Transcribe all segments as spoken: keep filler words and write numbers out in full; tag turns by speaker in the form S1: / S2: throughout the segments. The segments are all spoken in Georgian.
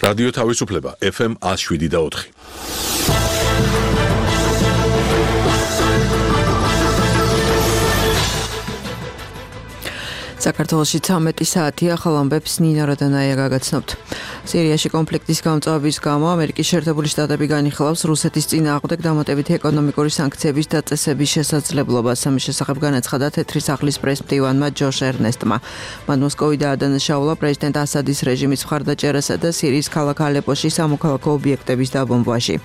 S1: რადიო თავისუფლება ეფ ემ one oh seven და four.
S2: საქართველოში ცამეტი საათია, ახალ ამბებს ნინა როდანაია გაგაცნობთ. სირიაში კონფლიქტის გამწვავების გამო ამერიკის შეერთებული შტატები განიხილავს რუსეთის წინააღმდეგ დამატებითი ეკონომიკური სანქციების დაწესების შესაძლებლობას. ამის შესახებ განაცხადა თეთრი სახლის პრეს-მდივანმა ჯოშ ერნესტმა. მან მოსკოვი დაადანაშაულა პრეზიდენტ ასადის რეჟიმის მხარდაჭერასა და სირიის ქალაქ ალეპოში სამოქალაქო ობიექტების დაბომბვაში.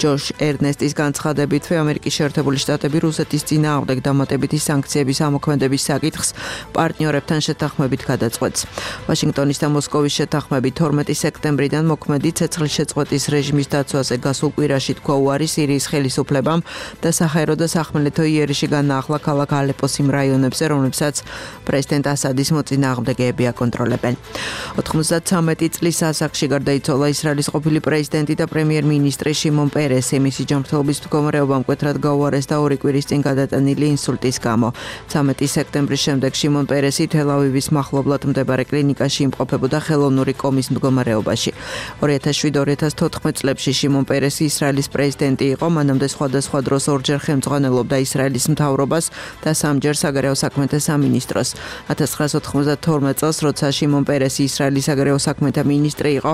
S2: ჯოშ ერნესტის განცხადებითვე ამერიკის შეერთებული შტატები რუსეთის წინააღმდეგ დამატებითი სანქციების ამოქმედების საკითხს პარტნიორებთან შეთანხმებით გადაწყვეტს. ვაშინგტონის და მოსკოვის შეთანხმებით თორმეტი სექტემბრიდან მოქმედი ცეცხლის შეწყვეტის რეჟიმის დაცვაზე გასულ კვირაში თქვა უარი სირიის ხელისუფლებამ და საჰაერო და სახმელეთო იერიში განაახლა ქალაქ ალეპოს იმ რაიონებზე, რომლებსაც პრეზიდენტ ასადის მოწინააღმდეგეები აკონტროლებენ. ოცდათვრამეტი წლის ასაკში გარდაიცვალა ისრაელის ყოფილი პრეზიდენტი და პრემიერ-მინისტრი შიმონ პერესი. მისი ჯანმრთელობის მდგომარეობა მკვეთრად გაუარესდა ორი კვირის წინ გადატანილი ინსულტის გამო. ცამეტი სექტემბრის შემდეგ შიმონ პერესი თელ-ავივის მახლობლად მდებარე კლინიკაში იმყოფებოდა ხელოვნური კომის მდგომარეობაში. ორი ათას შვიდ ორი ათას თოთხმეტ წლებში შიმონ პერესი ისრაელის პრეზიდენტი იყო, მანამდე სხვადასხვა დროს ორჯერ ხელმძღვანელობდა ისრაელის მთავრობას და სამჯერ საგარეო საქმეთა სამინისტროს. ათას ცხრაასა ოთხმოცდათორმეტ წელს, როცა შიმონ პერესი ისრაელის საგარეო საქმეთა მინისტრი იყო,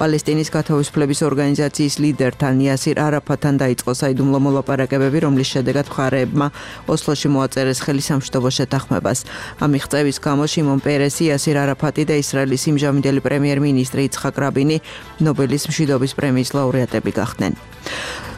S2: პალესტინის გათავისუფლების ორგანიზაციის ლიდერთან იასირ არაფატთან დაიწყო საიდუმლო მოლაპარაკებები, რომლის შედეგად მხარეებმა ოსლოში მოაწერეს ხელი სამშვიდობო შეთანხმებას. ამ მიღწევის გამო შიმონ პერესი, იასირ არაფატი და ისრაელის იმჟამინდელი პრემიერ-მინისტრი იცხაკ რაბინი ნობელის მშვიდობის პრემიის ლაურეატები გახდნენ.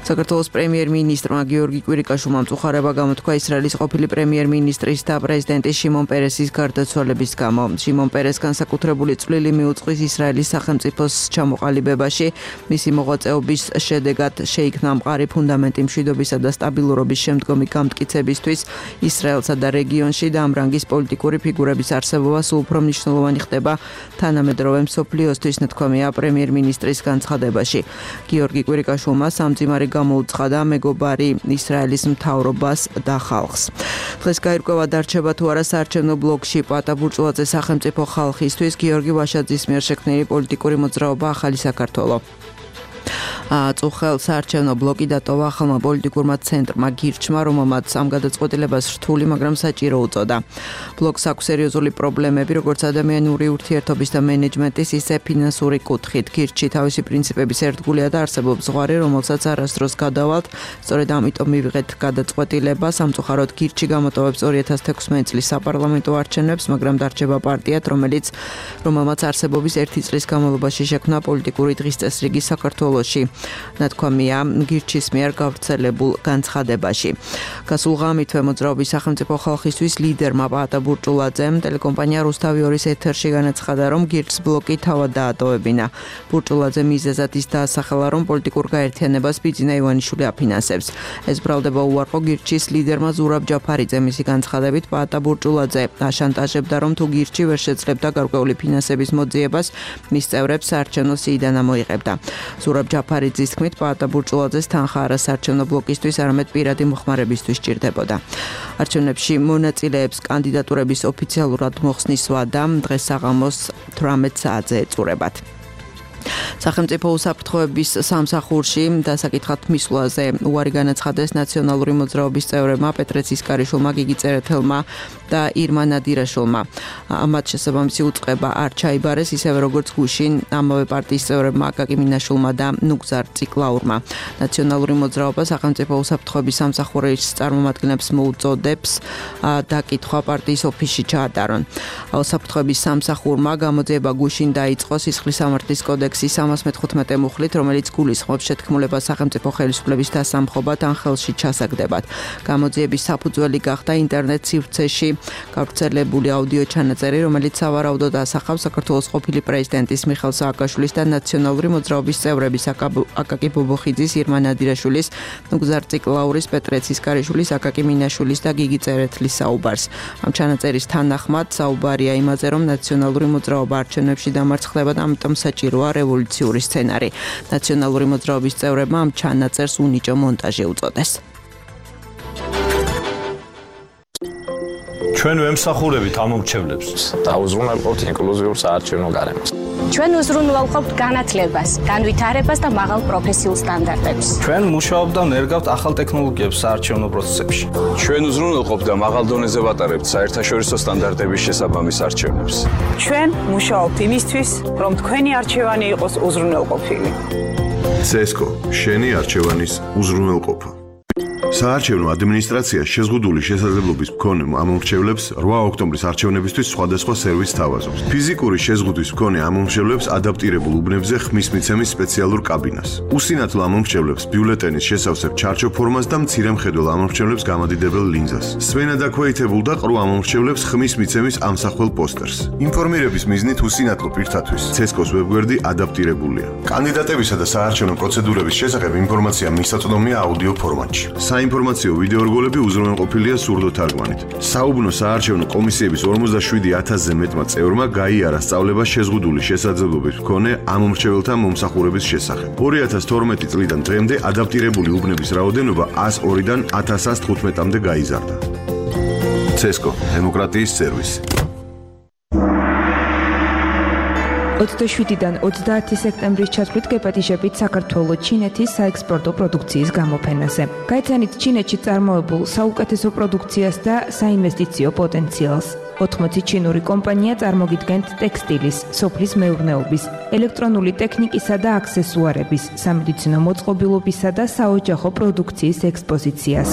S2: საქართველოს პრემიერ-მინისტრმა გიორგი კვირიკაშვილმა მწუხარება გამოთქვა ისრაელის ყოფილი პრემიერ-მინისტრის და პრეზიდენტის შიმონ პერესის გარდაცვალების გამო. შიმონ პერეს განსაკუთრებული წვლილი მიუძღვის ისრაელის სახელმწიფოს ჩამოყალიბებაში. მისი მოღვაწეობის შედეგად შეიქმნა მყარი ფუნდამენტი მშვიდობისა და სტაბილურობის შემდგომი გამტკიცებისთვის ისრაელსა და რეგიონში და ამ რანგის პოლიტიკური ფიგურების არსებობა სულ უფრო მნიშვნელოვანი ხდება თანამედროვე მსოფლიოსთვის, ნათქვამია პრემიერ-მინისტრის განცხადებაში. გიორგი კვირიკაშვილმა სამძიმარი გამოუცხადა მეგობარი ისრაელის მთავრობას და ხალხს. დღეს გაირკვევა დარჩება თუ არა საარჩევნო ბლოკში პატა ბურჭულაძე სახელმწიფო ხალხისთვის გიორგი ვაშაძის მიერ შექმნილი პოლიტიკური მოძრაობა ახალი საქართველო. წუხელ საარჩევნო ბლოკი დატოვა ახალმა პოლიტიკურმა ცენტრმა გირჩმა, რომელმაც ამ გადაწყვეტილებას რთული, მაგრამ საჭირო უწოდა. ბლოკს აქვს სერიოზული პრობლემები, როგორც ადამიანური ურთიერთობის და მენეჯმენტის, ისე ფინანსური კუთხით. გირჩი თავისი პრინციპების ერთგულია და არსებობს ზღვარი, რომელსაც არასდროს გადავალთ. სწორედ ამიტომ მივიღეთ გადაწყვეტილება. სამწუხაროდ გირჩი გამოტოვებს ორი ათას თექვსმეტი წლის საპარლამენტო არჩევნებს, მაგრამ დარჩება პარტიად, რომელიც რომელმაც არსებობის ერთი წლის განმავლობაში შექმნა პოლიტიკური დღის წესრიგი საქართველოში. ნათქვამია გირჩის მიერ გავრცელებულ განცხადებაში. გასულ ღამითვე მოძრაობის სახელმწიფო ხალხისთვის ლიდერმა პაატა ბურჭულაძემ ტელეკომპანია რუსთავი ორის ეთერში განაცხადა, რომ გირჩს ბლოკი თავად დაატოვებინა. ბურჭულაძე მიზეზად ის დაასახელა, რომ პოლიტიკურ გაერთიანებას ბიძინა ივანიშვილი აფინანსებს. ეს ბრალდება უარყო გირჩის ლიდერმა ზურაბ ჯაფარიძე. მისი განცხადებით პაატა ბურჭულაძე აშანტაჟებდა, რომ თუ გირჩი ვერ შეძლებდა გარკვეული ფინანსების მოძიებას, მის წევრებს საარჩევნო სიიდან ამოიღებდა. ზურაბ ჯაფარიძის თქმით, პაატა ბურჭულაძეს თანხა არა საარჩევნო ბლოკისთვის, არამედ პირადი მოხმარებისთვის სჭირდებოდა. არჩევნებში მონაწილეებს კანდიდატურების ოფიციალურად მოხსნის ვადა დღეს საღამოს თვრამეტ საათზე ეწურებათ. სახელმწიფო უსაფრთხოების სამსახურში დასაკითხად მისვლაზე უარი განაცხადეს ნაციონალური მოძრაობის წევრებმა პეტრე ცისკარიშვილმა, გიგი წერეთელმა და ირმა ნადირაშვილმა. მათ შესაბამისი უწყება არ ჩაიბარეს, ისევე როგორც გუშინ ამავე პარტიის წევრებმა აკაკი მინაშვილმა და ნუგზარ ციკლაურმა. ნაციონალური მოძრაობა სახელმწიფო უსაფრთხოების სამსახურის წარმომადგენლებს მოუწოდებს დაკითხვა პარტიის ოფისში ჩაატარონ. უსაფრთხოების სამსახურმა გამოძიება გუშინ დაიწყო სისხლის სამართლის კოდექსის სამას მეთხუთმეტე მუხლით, რომელიც გულისხმობს შეთქმულებას სახელმწიფო ხელისუფლების დასამხობად ან ხელში ჩასაგდებად. გამოძიების საფუძველი გახდა ინტერნეტ სივრცეში გავრცელებული აუდიო ჩანაწერი, რომელიც სავარაუდოდ ასახავს საქართველოს ყოფილი პრეზიდენტის მიხეილ სააკაშვილის და ნაციონალური მოძრაობის წევრების აკაკი ბობოხიძის, ირმა ნადირაშვილის, ნუგზარ ციკლაურის, პეტრე ცისკარიშვილის, აკაკი მინაშვილის და გიგი წერეთლის საუბარს. ამ ჩანაწერის თანახმად საუბარია იმაზე, რომ ნაციონალური მოძრაობა არჩევნებში დამარცხდება და ამიტომ საჭიროა რევოლუციური სცენარი. ნაციონალური მოძრაობის წევრებმა ამ ჩანაწერს უნიჭო მონტაჟი უწოდეს.
S3: ჩვენ ვემსახურებით ამ მომრჩევლებს.
S4: დაუზრუნავთ ინკლუზიურ საარჩევნო გარემოს.
S3: ჩვენ უზრუნველყოფთ განათლებას, განვითარებას და მაღალ პროფესიულ სტანდარტებს.
S4: ჩვენ მუშაობთ და ნერგავთ ახალ ტექნოლოგიებს საარჩევნო პროცესებში.
S5: ჩვენ უზრუნველყოფთ და მაღალ დონეზე ვატარებთ საერთაშორისო სტანდარტების შესაბამის არჩევნებს.
S6: ჩვენ მუშაობთ იმისთვის, რომ თქვენი არჩევანი იყოს უზრუნველყოფილი.
S7: ცესკო, შენი არჩევანის უზრუნველყოფა. საარჩევნო ადმინისტრაცია შეზღუდული შესაძლებლობის მქონე ამომრჩევლებს რვა ოქტომბრის არჩევნებისთვის სხვადასხვა სერვისს თავაზობს. ფიზიკური შეზღუდვის მქონე ამომრჩევლებს ადაპტირებულ უბნებზე ხმის მიცემის სპეციალურ კაბინას. უსინათლო ამომრჩევლებს ბიულეტენის შესავსებ ჩარჩო ფორმას და მცირე მხედველ ამომრჩევლებს გამადიდებელ ლინზას. სვენა დაქვეითებულ და ყრუ ამომრჩევლებს ხმის მიცემის ამსახველ პოსტერს. ინფორმირების მიზნით უსინათლო პირთათვის ცესკოს ვებგვერდი ადაპტირებულია. კანდიდატებისა და საარჩევნო პროცედურების შესახებ ინფორმაცია მისაწვდომია აუდიო ფორმატში. საინფორმაციო ვიდეორგოლები უზრუნველყოფილია სურდო თარგმანით. საუბნო საარჩევნო კომისიების ორმოცდაშვიდი ათასზე მეტმა წევრმა გაიარა სწავლება შეზღუდული შესაძლებლობის მქონე ამომრჩეველთა მომსახურების შესახებ. ორი ათას თორმეტი წლიდან დღემდე ადაპტირებული უბნების რაოდენობა ათას ორიდან ათას ათას თხუთმეტამდე გაიზარდა. ცესკო, დემოკრატიის სერვისი.
S8: ოცდაშვიდიდან ოცდაათი სექტემბრის ჩათვლით გეპატიჟებით საქართველოს ჩინეთის საექსპორტო პროდუქციის გამოფენაზე. გაიცანით ჩინეთში წარმოებულ საუკეთესო პროდუქციას და საინვესტიციო პოტენციალს. ოთხმოცი ჩინური კომპანია წარმოგიდგენთ ტექსტილის, სოფლის მეურნეობის, ელექტრონული ტექნიკისა და აქსესუარების, სამედიცინო მოწყობილობისა და საოჯახო პროდუქციის ექსპოზიციას.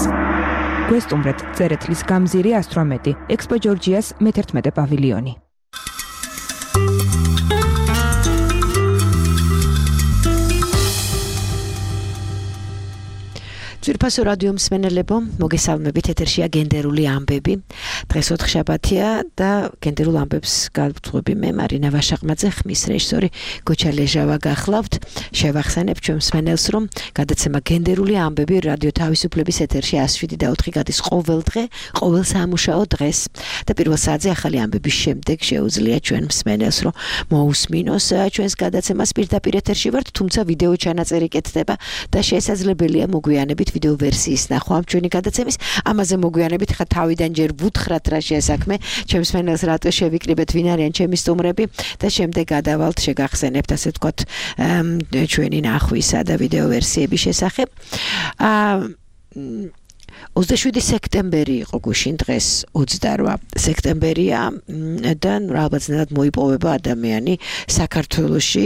S8: გვესტუმრეთ წერეთლის გამზირი ასტრომეტი, ექსპო ჯორჯიას მეთერთმეტე პავილიონი.
S9: ძვირფასო რადიო მსმენელებო, მოგესალმებით, ეთერშია გენდერული ამბები. დღეს ოთხშაბათია და გენდერულ ამბებს გავწვევი მე მარინა ვაშაყმაძე, ხმის რეჟისორი გოჩა ლეჟავა გახლავთ. შევახსენებ ჩვენ მსმენელს, რომ გადაცემა გენდერული ამბები რადიო თავისუფლების ეთერში εκατს შვიდი და ოთხი გადის ყოველ დღე, ყოველ სამუშაო დღეს. და პირველ საათზე ახალი ამბების შემდეგ შეუძლია ჩვენ მსმენელს, რომ მოусმინოს ჩვენს გადაცემას პირდაპირ ეთერში ვართ, თუმცა ვიდეო ჩანაწერი კეთდება და შესაძლებელია მოგვიანებით ვიდეო ვერსიის ნახვა ამ ჩვენი გადაცემის. ამაზე მოგვიანებით ხა თავიდან ჯერ ვუთხრათ რა შესაქმე, ჩემს მსმენელს რატო შევიკრიბეთ, ვინ არიან ჩემი სტუმრები და შემდეგ გადავალთ შეგახსენებთ ასე ვთქვათ ჩვენი ნახვისა და ვიდეო ვერსიების შესახებ. აა ოცდაშვიდი სექტემბერი იყო გუშინ, დღეს ოცდარვა სექტემბერია და რაღაცნაირად მოიპოვება ადამიანი საქართველოში,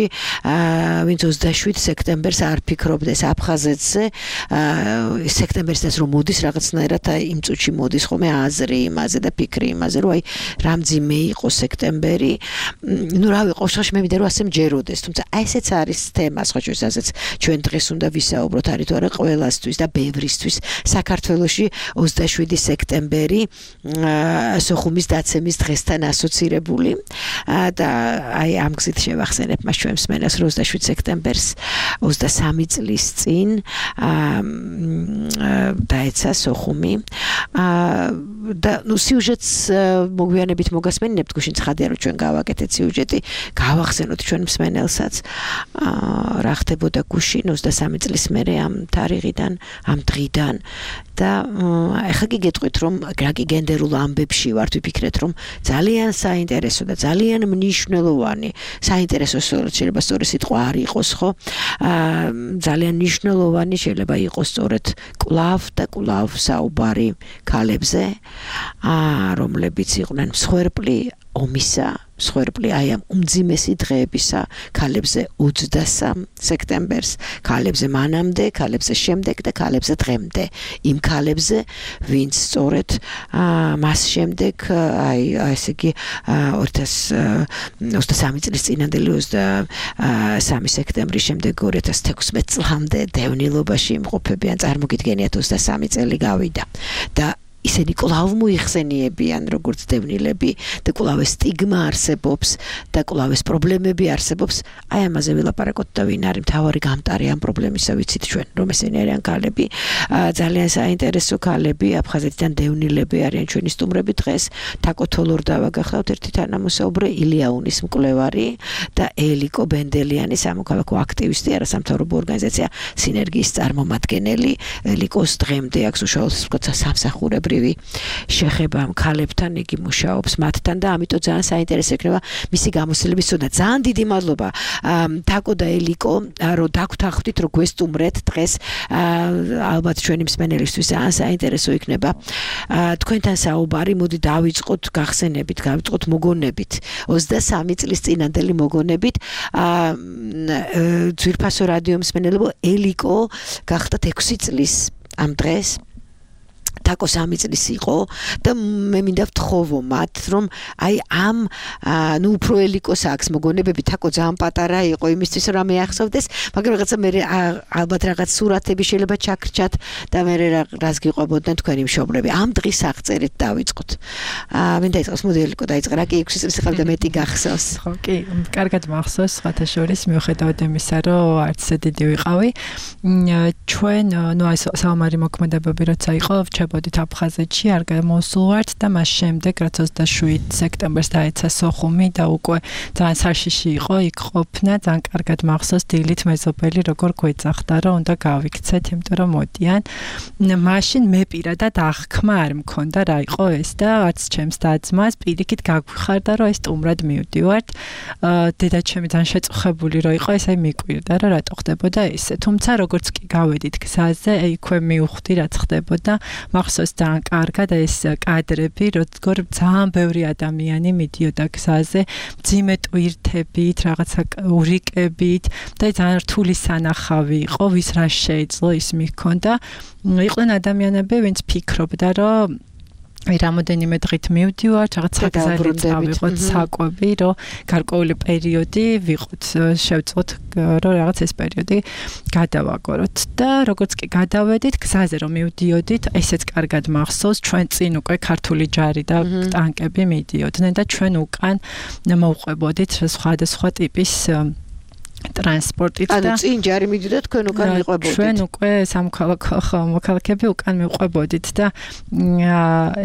S9: ვინც ოცდაშვიდ სექტემბერს არ ფიქრობდეს აფხაზეთზე, სექტემბერსაც რომ მოდის რაღაცნაირად იმ წუთში მოდის ხოლმე აზრი იმაზე და ფიქრი იმაზე, რომ აი რამძიმე იყო სექტემბერი. ნუ რავი, ყოველშაბათში მე მინდა რომ ასე მჯეროდეს, თუმცა აი ესეც არის თემა, სხვა შესაძაც ჩვენ დღეს უნდა ვისაუბროთ, არის თუ არა ყველასთვის და ბევრისთვის საქართველოში ოცდაშვიდი სექტემბერი სოხუმის დაცემის დღესთან ასოცირებული და აი ამ გზით შევახსენებ მას ჩვენ მსმენელს, რომ ოცდაშვიდ სექტემბერს ოცდასამი წლის წინ დაეცა სოხუმი და ნუ სიუჟეტს მოგვიანებით მოგასმენინებთ, გუშინ ცხადია რომ ჩვენ გავაკეთეთ სიუჟეტი, გავახსენოთ ჩვენ მსმენელსაც რა ხდებოდა გუშინ ოცდასამი წლის მერე ამ თარიღიდან, ამ დღიდან და ეხლა კი გეტყვით რომ რა კი გენდერულ ამბებში ვართ, ვიფიქრეთ რომ ძალიან საინტერესო და ძალიან მნიშვნელოვანი, საინტერესო შეიძლება სწორი სიტყვა არ იყოს, ხო? ძალიან მნიშვნელოვანი შეიძლება იყოს სწორედ კლავ და კლავ საუბარი ქალებზე, რომლებიც იყვნენ მსხვერპლი ომისა, მსხვერპლი აი ამ უმძიმესი დღეებისა ქალებზე ოცდასამ სექტემბერს, ქალებზე მანამდე, ქალებზე შემდეგ და ქალებზე დღემდე. იმ ქალებზე, ვინც სწორედ მას შემდეგ, აი ესე იგი ოცდასამი წლის წინანდელი ოცდასამი სექტემბრის შემდეგ ორი ათას თექვსმეტ წლამდე დევნილობაში იმყოფებიან, წარმოგიდგენიათ ოცდასამი წელი გავიდა და ისინი კვლავ მოიხსენიებიან როგორც დევნილები და კვლავ სტიგმა არსებობს და კვლავ პრობლემები არსებობს. აი ამაზე ვილაპარაკოთ და ვინ არის მთავარი გამტარი ამ პრობლემისა, ვიცით ჩვენ, რომ ესენი არიან ქალები, ძალიან საინტერესო ქალები, აფხაზეთიდან დევნილები არიან ჩვენი სტუმრები დღეს. თაკო თოლორდავა გახლავთ, ერთი თანამოსაუბრე, ილიაუნის მკვლევარი და ელიკო ბენდელიანი, სამოქალაქო აქტივისტი, არასამთავრობო ორგანიზაცია სინერგიის წარმომადგენელი. ელიკოს დღემდე აქვს უშუალოდ სამსახურებრივი ჩვეულებრივი შეხება ქალებთან იგი მუშაობს მათთან და ამიტომ ძალიან საინტერესო იქნება მისი გამოსილების წოდება. ძალიან დიდი მადლობა თაკო და ელიკო რომ დაგვთანხმდით რომ გვესტუმრეთ დღეს ალბათ ჩვენი მსმენელისთვის ძალიან საინტერესო იქნება თქვენთან საუბარი. მოდი დავიწყოთ გახსენებით, გავიწყოთ მოგონებით. ოცდასამი წლის წინანდელი მოგონებით ძვირფასო რადიო მსმენელებო ელიკო გახდათ ექვსი წლის ამ დღეს თაკო სამი წლის იყო და მე მინდა ვთხოვო მათ რომ აი ამ ნუ უფრო ელიკოს აქვს მოგონებები თაკო ძალიან პატარა იყო იმისთვის რომ მეახსოვდეს მაგრამ რაღაცა მე ალბათ რაღაც სურათები შეიძლება ჩაქრჩათ და მე რას გიყვებოდნენ თქვენი მშობლები ამ დღის აღწერით დავიწყოთ მინდა იწყოს მოდი ელიკო დაიწყე რა კი ექვსი წლის ხარ და მეტი გახსოვს
S10: ხო კი კარგად მახსოვს სხვათა შორის მიუხედავად იმისა რომ არც დიდი ვიყავი ჩვენ ნუ აი საომარი მოქმედებები როცა იყო ვჩებოდით აფხაზეთში არ გამოსულვართ და მას შემდეგ რაც ოცდაშვიდ სექტემბერს დაეცა სოხუმი და უკვე ძალიან საშიში იყო იქ ყოფნა ძალიან კარგად მახსოვს დილით მეზობელი როგორ გვეძახდა რომ უნდა გავიქცეთ იმიტომ რომ მოდიან მაშინ მე პირადად აღქმა არ მქონდა რა იყო ეს და არც ჩემს და-ძმას პირიქით გაგვიხარდა რომ ეს სტუმრად მივდივართ დედაჩემი ძალიან შეწუხებული რომ იყო ეს აი მიკვირდა რომ რატო ხდებოდა ესე თუმცა როგორც კი გავედით გზაზე იქვე მივხვდი რაც ხდებოდა მახსოვს ძალიან კარგად ეს კადრები როგორ ძალიან ბევრი ადამიანი მიდიოდა გზაზე მძიმე ტვირთებით რაღაცა ურიკებით და ძალიან რთული სანახავი იყო ვის რა შეეძლო ის მიქონდა იყვნენ ადამიანები ვინც ფიქრობდა რომ აი რამოდენიმე დღით მივდივართ რაღაც გზაზე წავიღოთ საკვები რომ გარკვეული პერიოდი ვიყოთ შევწყვოთ რომ რაღაც ეს პერიოდი გადავაგოროთ და როგორც კი გადავედით გზაზე რომ მივდიოდით ესეც კარგად მახსოვს ჩვენ წინ უკვე ქართული ჯარი და ტანკები მიდიოდნენ და ჩვენ უკან მოვყვებოდით სხვადასხვა ტიპის ტრანსპორტით და
S9: ანუ წინ ჯარი მიდიოდა თქვენ უკან მიყვებოდით
S10: ჩვენ უკვე სამოქალაქო მოქალაქეები უკან მიყვებოდით და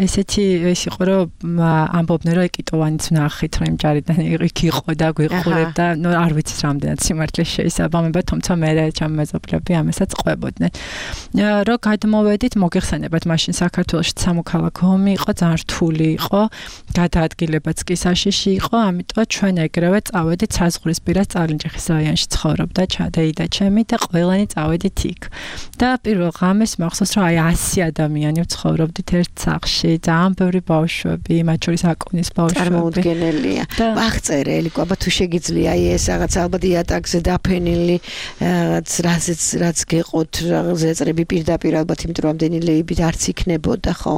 S10: ესეთი ეს იყო რომ ამბობდნენ რომ ეკიტოვანიც ვნახით რომ იმ ჯარიდან იქ იყო და გვიყურებდა ნუ არ ვიცი რამდენად სიმართლე შეისაბამება თუმცა მე ჩემ მეზობლები ამასაც ყვებოდნენ რომ გადმოვედით მოგეხსენებათ მაშინ საქართველოში სამოქალაქო ომი იყო ძალიან რთული იყო გადაადგილებაც კი საშიში იყო ამიტომ ჩვენ ეგრევე წავედით საზღვრისპირა წალინჯიხის რაიონში ცხოვრობდა ჩადეიდა ჩემი და ყველანი წავედით იქ და პირველ ღამეს მახსოვს რომ აი ასი ადამიანი ცხოვრობდით ერთ სახლში ძალიან ბევრი ბავშვები მათ შორის აკუნის ბავშვები
S9: წარმოუდგენელია აღწერე ელიკო აბა თუ შეგიძლია აი ეს რაღაც ალბათ იატაკზე დაფენილი რაღაც რაზეც რაც გეყოთ ზეწრები პირდაპირ ალბათ იმიტომ რომ ამდენი ლეიბით არც იქნებოდა ხო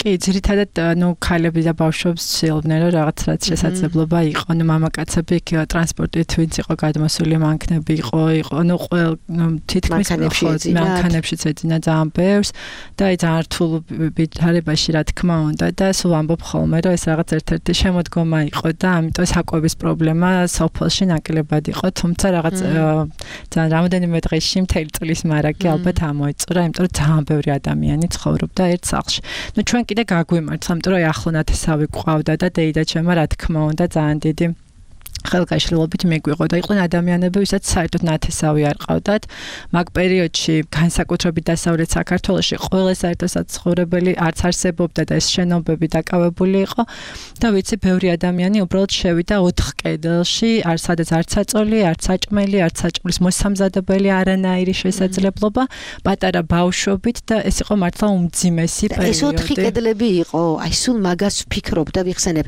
S10: კი ძირითადად ნუ ქალები და ბავშვებს შეელვნენ რომ რაღაც რაც შესაძლებლობა იყო ნუ მამაკაცები იქ ტრანსპორტით ვინც იყო გადმოსული მანქანები იყო იყო ნუ ყველ თითქმის მანქანებში ეძინა ძალიან ბევრს და აი ძალიან რთულ ვითარებაში რა თქმა უნდა და სულ ამბობ ხოლმე რომ ეს რაღაც ერთ-ერთი შემოდგომა იყო და ამიტომ საკვების პრობლემა სოფელში ნაკლებად იყო თუმცა რაღაც ძალიან რამოდენიმე დღეში მთელი წლის მარაგი ალბათ ამოეწურა იმიტომ რომ ძალიან ბევრი ადამიანი ცხოვრობდა ერთ სახლში ნუ ჩვენ კიდე გაგვიმართ იმიტომ რომ აი ახლო ნათესავი გვყავდა და დეიდა ჩემმა რა თქმა უნდა ძალიან დიდი ხელგაშლილობით მეგვიყო და იყვნენ ადამიანები, ვისაც საერთოდ ნათესავი არ ყავდათ. მაგ პერიოდში განსაკუთრებით დასავლეთ საქართველოში ყველა საერთო საცხოვრებელი არც არსებობდა და ეს შენობები დაკავებული იყო და ვიცი ბევრი ადამიანი უბრალოდ შევიდა ოთხ კედელში, არ სადაც არც საწოლი, არც საჭმელი, არც საჭმლის მოსამზადებელი არანაირი შესაძლებლობა, პატარა ბავშვობით და ეს იყო მართლა უმძიმესი პერიოდი.
S9: ეს ოთხი კედლები იყო, აი სულ მაგას ვფიქრობ და ვიხსენებ.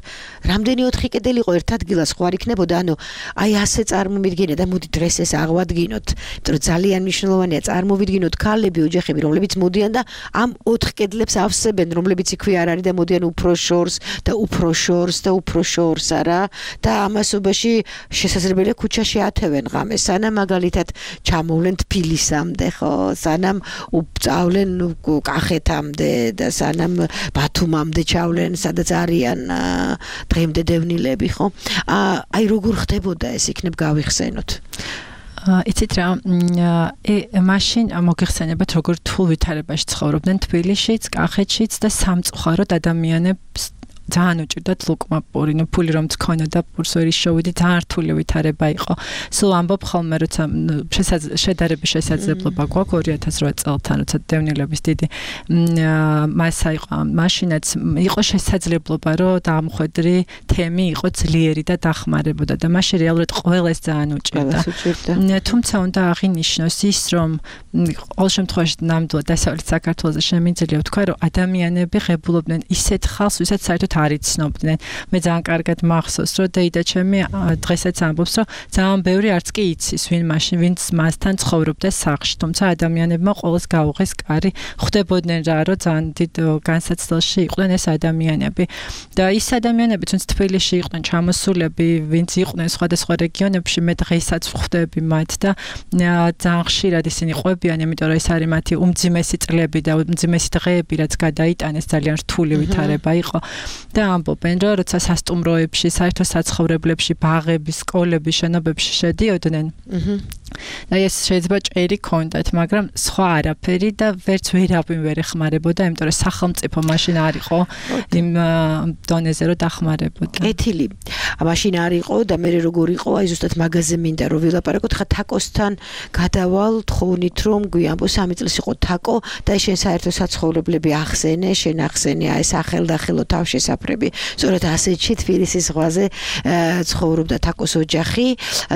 S9: რამდენი ოთხი კედელი იყო ერთ ადგილას ხო არ იქნებოდა და ანუ აი ასე წარმოვიდგინე და მოდი დღეს ეს აღვადგინოთ, იმიტომ რომ ძალიან მნიშვნელოვანია წარმოვიდგინოთ ქალები, ოჯახები, რომლებიც მოდიან და ამ ოთხ კედლებს ავსებენ, რომლებიც იქვე არ არის და მოდიან უფრო შორს და უფრო შორს და უფრო შორს არა და ამასობაში შესაძლებელია ქუჩაში ათევენ ღამეს, სანამ მაგალითად ჩამოვლენ თბილისამდე, ხო, სანამ უბწავლენ კახეთამდე და სანამ ბათუმამდე ჩავლენ, სადაც არიან დღემდე დევნილები, ხო? აი როგორ ხდებოდა ეს იქნებ გავიხსენოთ.
S10: იცით რა, მაშინ მოგეხსენებათ როგორ რთულ ვითარებაში ცხოვრობდნენ თბილისშიც, კახეთშიც და სამწუხაროდ ადამიანებს ძალიან უჭირდათ ლუკმაპური, ნუ ფული რომ თქონოდა პურს ვერ ისშოვიდი, ძალიან რთული ვითარება იყო. სულ ამბობ ხოლმე, როცა შედარების შესაძლებლობა გვაქვს ორი ათას რვა წელთან, როცა დევნილების დიდი მასა იყო ამ მაშინაც იყო შესაძლებლობა, რომ დამხვედრი თემი იყო ძლიერი და დახმარებოდა და მაშინ რეალურად ყველას ძალიან უჭირდა. თუმცა უნდა აღინიშნოს ის, რომ ყოველ შემთხვევაში ნამდვილად დასავლეთ საქართველოს შემიძლია ვთქვა, რომ ადამიანები ღებულობდნენ ისეთ ხალხს, ვისაც საერთოდ არ იცნობდნენ. მე ძალიან კარგად მახსოვს, რომ დეიდა ჩემი დღესაც ამბობს, რომ ძალიან ბევრი არც კი იცის, ვინ მაშინ ვინც მასთან ცხოვრობდა სახლში, თუმცა ადამიანებმა ყოველს გაუღეს კარი, ხვდებოდნენ რა, რომ ძალიან დიდ განსაცდელში იყვნენ ეს ადამიანები. და ის ადამიანები, თუნდაც თბილისში იყვნენ ჩამოსულები, ვინც იყვნენ სხვადასხვა რეგიონებში, მე დღესაც ხვდები მათ და ძალიან ხშირად ისინი ყვებიან, იმიტომ რომ ეს არის მათი უმძიმესი წლები და უმძიმესი დღეები, რაც გადაიტანეს, ძალიან რთული ვითარება იყო და ამბობენ, რომ როცა სასტუმროებში, საერთო საცხოვრებლებში, ბაღების, სკოლების, შენობებში შედიოდნენ, და ეს შეიძლება ჭერი კონდათ, მაგრამ სხვა არაფერი და ვერც ვერავინ ვერ ეხმარებოდა, იმიტომ რომ სახელმწიფო მაშინ არ იყო იმ დონეზე რომ დახმარებოდა.
S9: კეთილი. მაშინ არ იყო და მე როგორ იყო, აი ზუსტად მაგაზე მინდა რომ ვილაპარაკოთ, ხა თაკოსთან გადავალ, თხოვნით რომ გვიამბო სამი წლის იყო თაკო და შენ საერთო საცხოვრებლები ახსენე, შენ ახსენე აი სახელდახელო თავშესაფრები. სწორედ ასეთში თბილისის ზღვაზე ცხოვრობდა თაკოს ოჯახი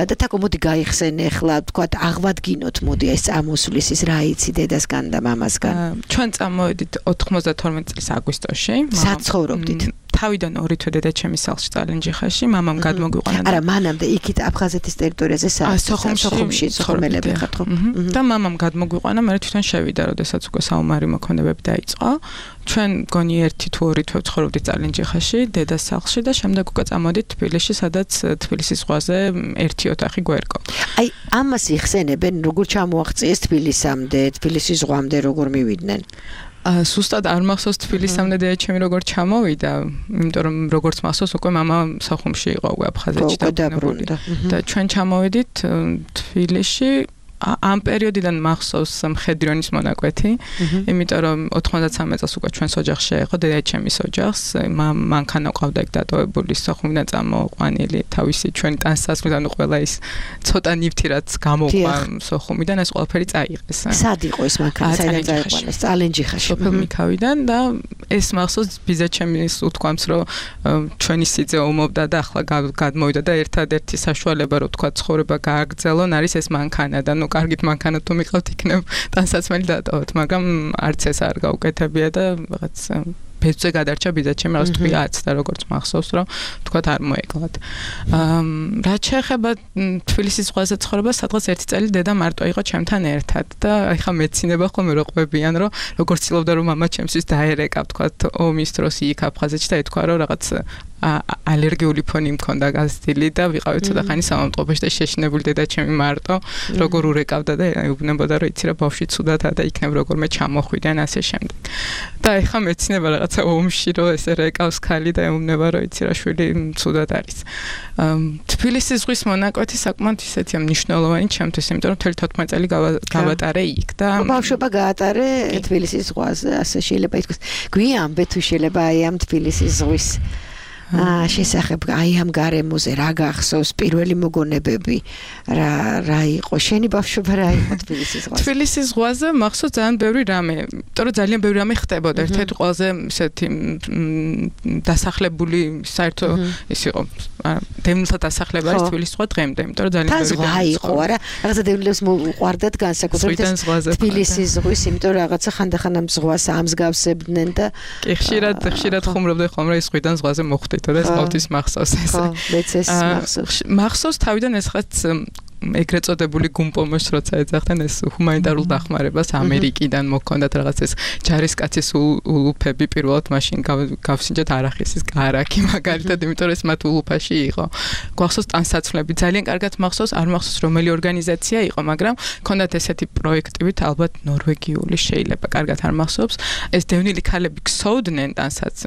S9: და თაკო მოდი გაიხსენე ახლა თქვათ აღვადგინოთ მოდი ეს წამოსulis ის რა იცი დედასგან და მამასგან.
S11: ჩვენ წამოვედით ოთხმოცდათორმეტ წლის აგვისტოში.
S9: საცხოვრობდით.
S11: თავიდან ორი თვე დედა ჩემის სახლში წალენჯიხაში, მამამ გადმოგვიყვანა.
S9: არა, მანამდე იქით აფხაზეთის ტერიტორიაზე
S11: სოხუმში
S9: ცხოვრობდი ხარ ხო?
S11: და მამამ გადმოგვიყვანა, მე თვითონ შევიდა, როდესაც უკვე საომარი მოქმედებები დაიწყო. ჩვენ გონი ერთი თუ ორი თვე ცხოვრობდით წალენჯიხაში, დედას სახლში და შემდეგ უკვე წამოდით თბილისში, სადაც თბილისის ზღვაზე ერთი ოთახი გვერგო.
S9: აი, ამას იხსენებენ, როგორ ჩამოაღწიეს თბილისამდე, თბილისის ზღვამდე როგორ მივიდნენ?
S11: სუსტად არ მახსოვს თბილისამდე და ჩემი როგორ ჩამოვიდა, იმიტომ რომ როგორც მახსოვს უკვე მამა სოხუმში იყო უკვე აფხაზეთში დაბრუნებული და ჩვენ ჩამოვედით თბილისში. ამ პერიოდიდან მახსოვს მხედრიონის მონაკვეთი, იმიტომ რომ ოთხმოცდათსამე წელს უკვე ჩვენს ოჯახში იყო დედა ჩემის ოჯახს, მანქანა ყავდა იქ დატოვებული, სოხუმიდან წამოყვანილი, თავისი ჩვენი ტანსაცმლიდან ყველა ის ცოტა ნივთი რაც გამოყვა სოხუმიდან, ეს ყველაფერი წაიღეს.
S9: სად იყო ეს მანქანა, საიდან წაიყვანეს? წალენჯიხაში.
S11: სოფელ მიქავიდან და ეს მახსოვს ბიძა ჩემის უთქვამს, რომ ჩვენი სიძე ომობდა და ახლა გადმოვიდა და ერთადერთი საშუალება რომ თქვა ცხოვრება გააგრძელონ არის ეს მანქანა და კარგით მანქანა თუ მიყავთ იქნებ ტანსაცმელი დატოვოთ, მაგრამ არც ეს არ გაუკეთებია და რაღაც ფეცზე გადარჩა ბიძა ჩემი რაღაც თვიაც და როგორც მახსოვს რომ თქვათ არ მოეკლათ. რაც შეეხება თბილისის ზღვაზე ცხოვრებას, სადღაც ერთი წელი დედა მარტო იყო ჩემთან ერთად და ეხა მეცინება ხოლმე რო ყვებიან რომ როგორც ცდილობდა რომ მამა ჩემთვის დაერეკა თქვათ ომის დროს იქ აფხაზეთში და ეთქვა რომ რაღაც ალერგიული ფონი მქონდა გაზრდილი და ვიყავი ცოტა ხანი სამამტყობაში და შეშინებული დედა ჩემი მარტო როგორ ურეკავდა და ეუბნებოდა რომ იცი რა ბავშვი ცუდადა და იქნებ როგორმე ჩამოხვიდან ასე შემდეგ. და ეხა მეცინება რაღაცა ომში რომ ესე რეკავს ქალი და ეუბნება რომ იცი რა შვილი ცუდად არის. თბილისის ზღვის მონაკვეთი საკმაოდ ისეთია მნიშვნელოვანი ჩემთვის, იმიტომ რომ მთელი თოთხმეტ წელი გავატარე იქ და
S9: ბავშვობა გაატარე თბილისის ზღვაზე, ასე შეიძლება ითქვას. გვიამბე თუ შეიძლება აი ამ თბილისის ზღვის აა შესახებ აი ამ გარემოზე რა გახსოვს პირველი მოგონებები რა რა იყო შენი ბავშვობა რა იყო თბილისის ზღვაზე
S11: თბილისის ზღვაზე მახსოვს ძალიან ბევრი რამე იმიტომ რომ ძალიან ბევრი რამე ხდებოდა ერთ-ერთი ყველაზე ისეთი დასახლებული საერთო ის იყო დევნილთა დასახლება არის თბილისის ზღვა დღემდე იმიტომ რომ ძალიან ბევრი
S9: ზღვა იყო არა რაღაცა დევნილებს მოყვარდათ განსაკუთრებით თბილისის ზღვის იმიტომ რომ რაღაცა ხანდახან ამ ზღვას ამსგავსებდნენ და
S11: კი ხშირად ხშირად ხუმრობდნენ ხოლმე ის ზღვიდან ზღვაზე მოხვდით და ეს ყოველთვის მახსოვს ეს.
S9: ხო, მეც ეს მახსოვს.
S11: მახსოვს თავიდან ეს ხაც ეგრეთ წოდებული გუმპომოს როცა ეძახდნენ ეს ჰუმანიტარულ დახმარებას ამერიკიდან მოქონდათ რაღაც ეს ჯარისკაცის ულუფები პირველად მაშინ გავსინჯათ არახისის კარაკი მაგალითად იმიტომ რომ ეს მათ ულუფაში იყო. გვახსოვს ტანსაცმლები ძალიან კარგად მახსოვს არ მახსოვს რომელი ორგანიზაცია იყო მაგრამ ქონდათ ესეთი პროექტივით ალბათ ნორვეგიული შეიძლება კარგად არ მახსოვს ეს დევნილი ქალები ქსოვდნენ ტანსაც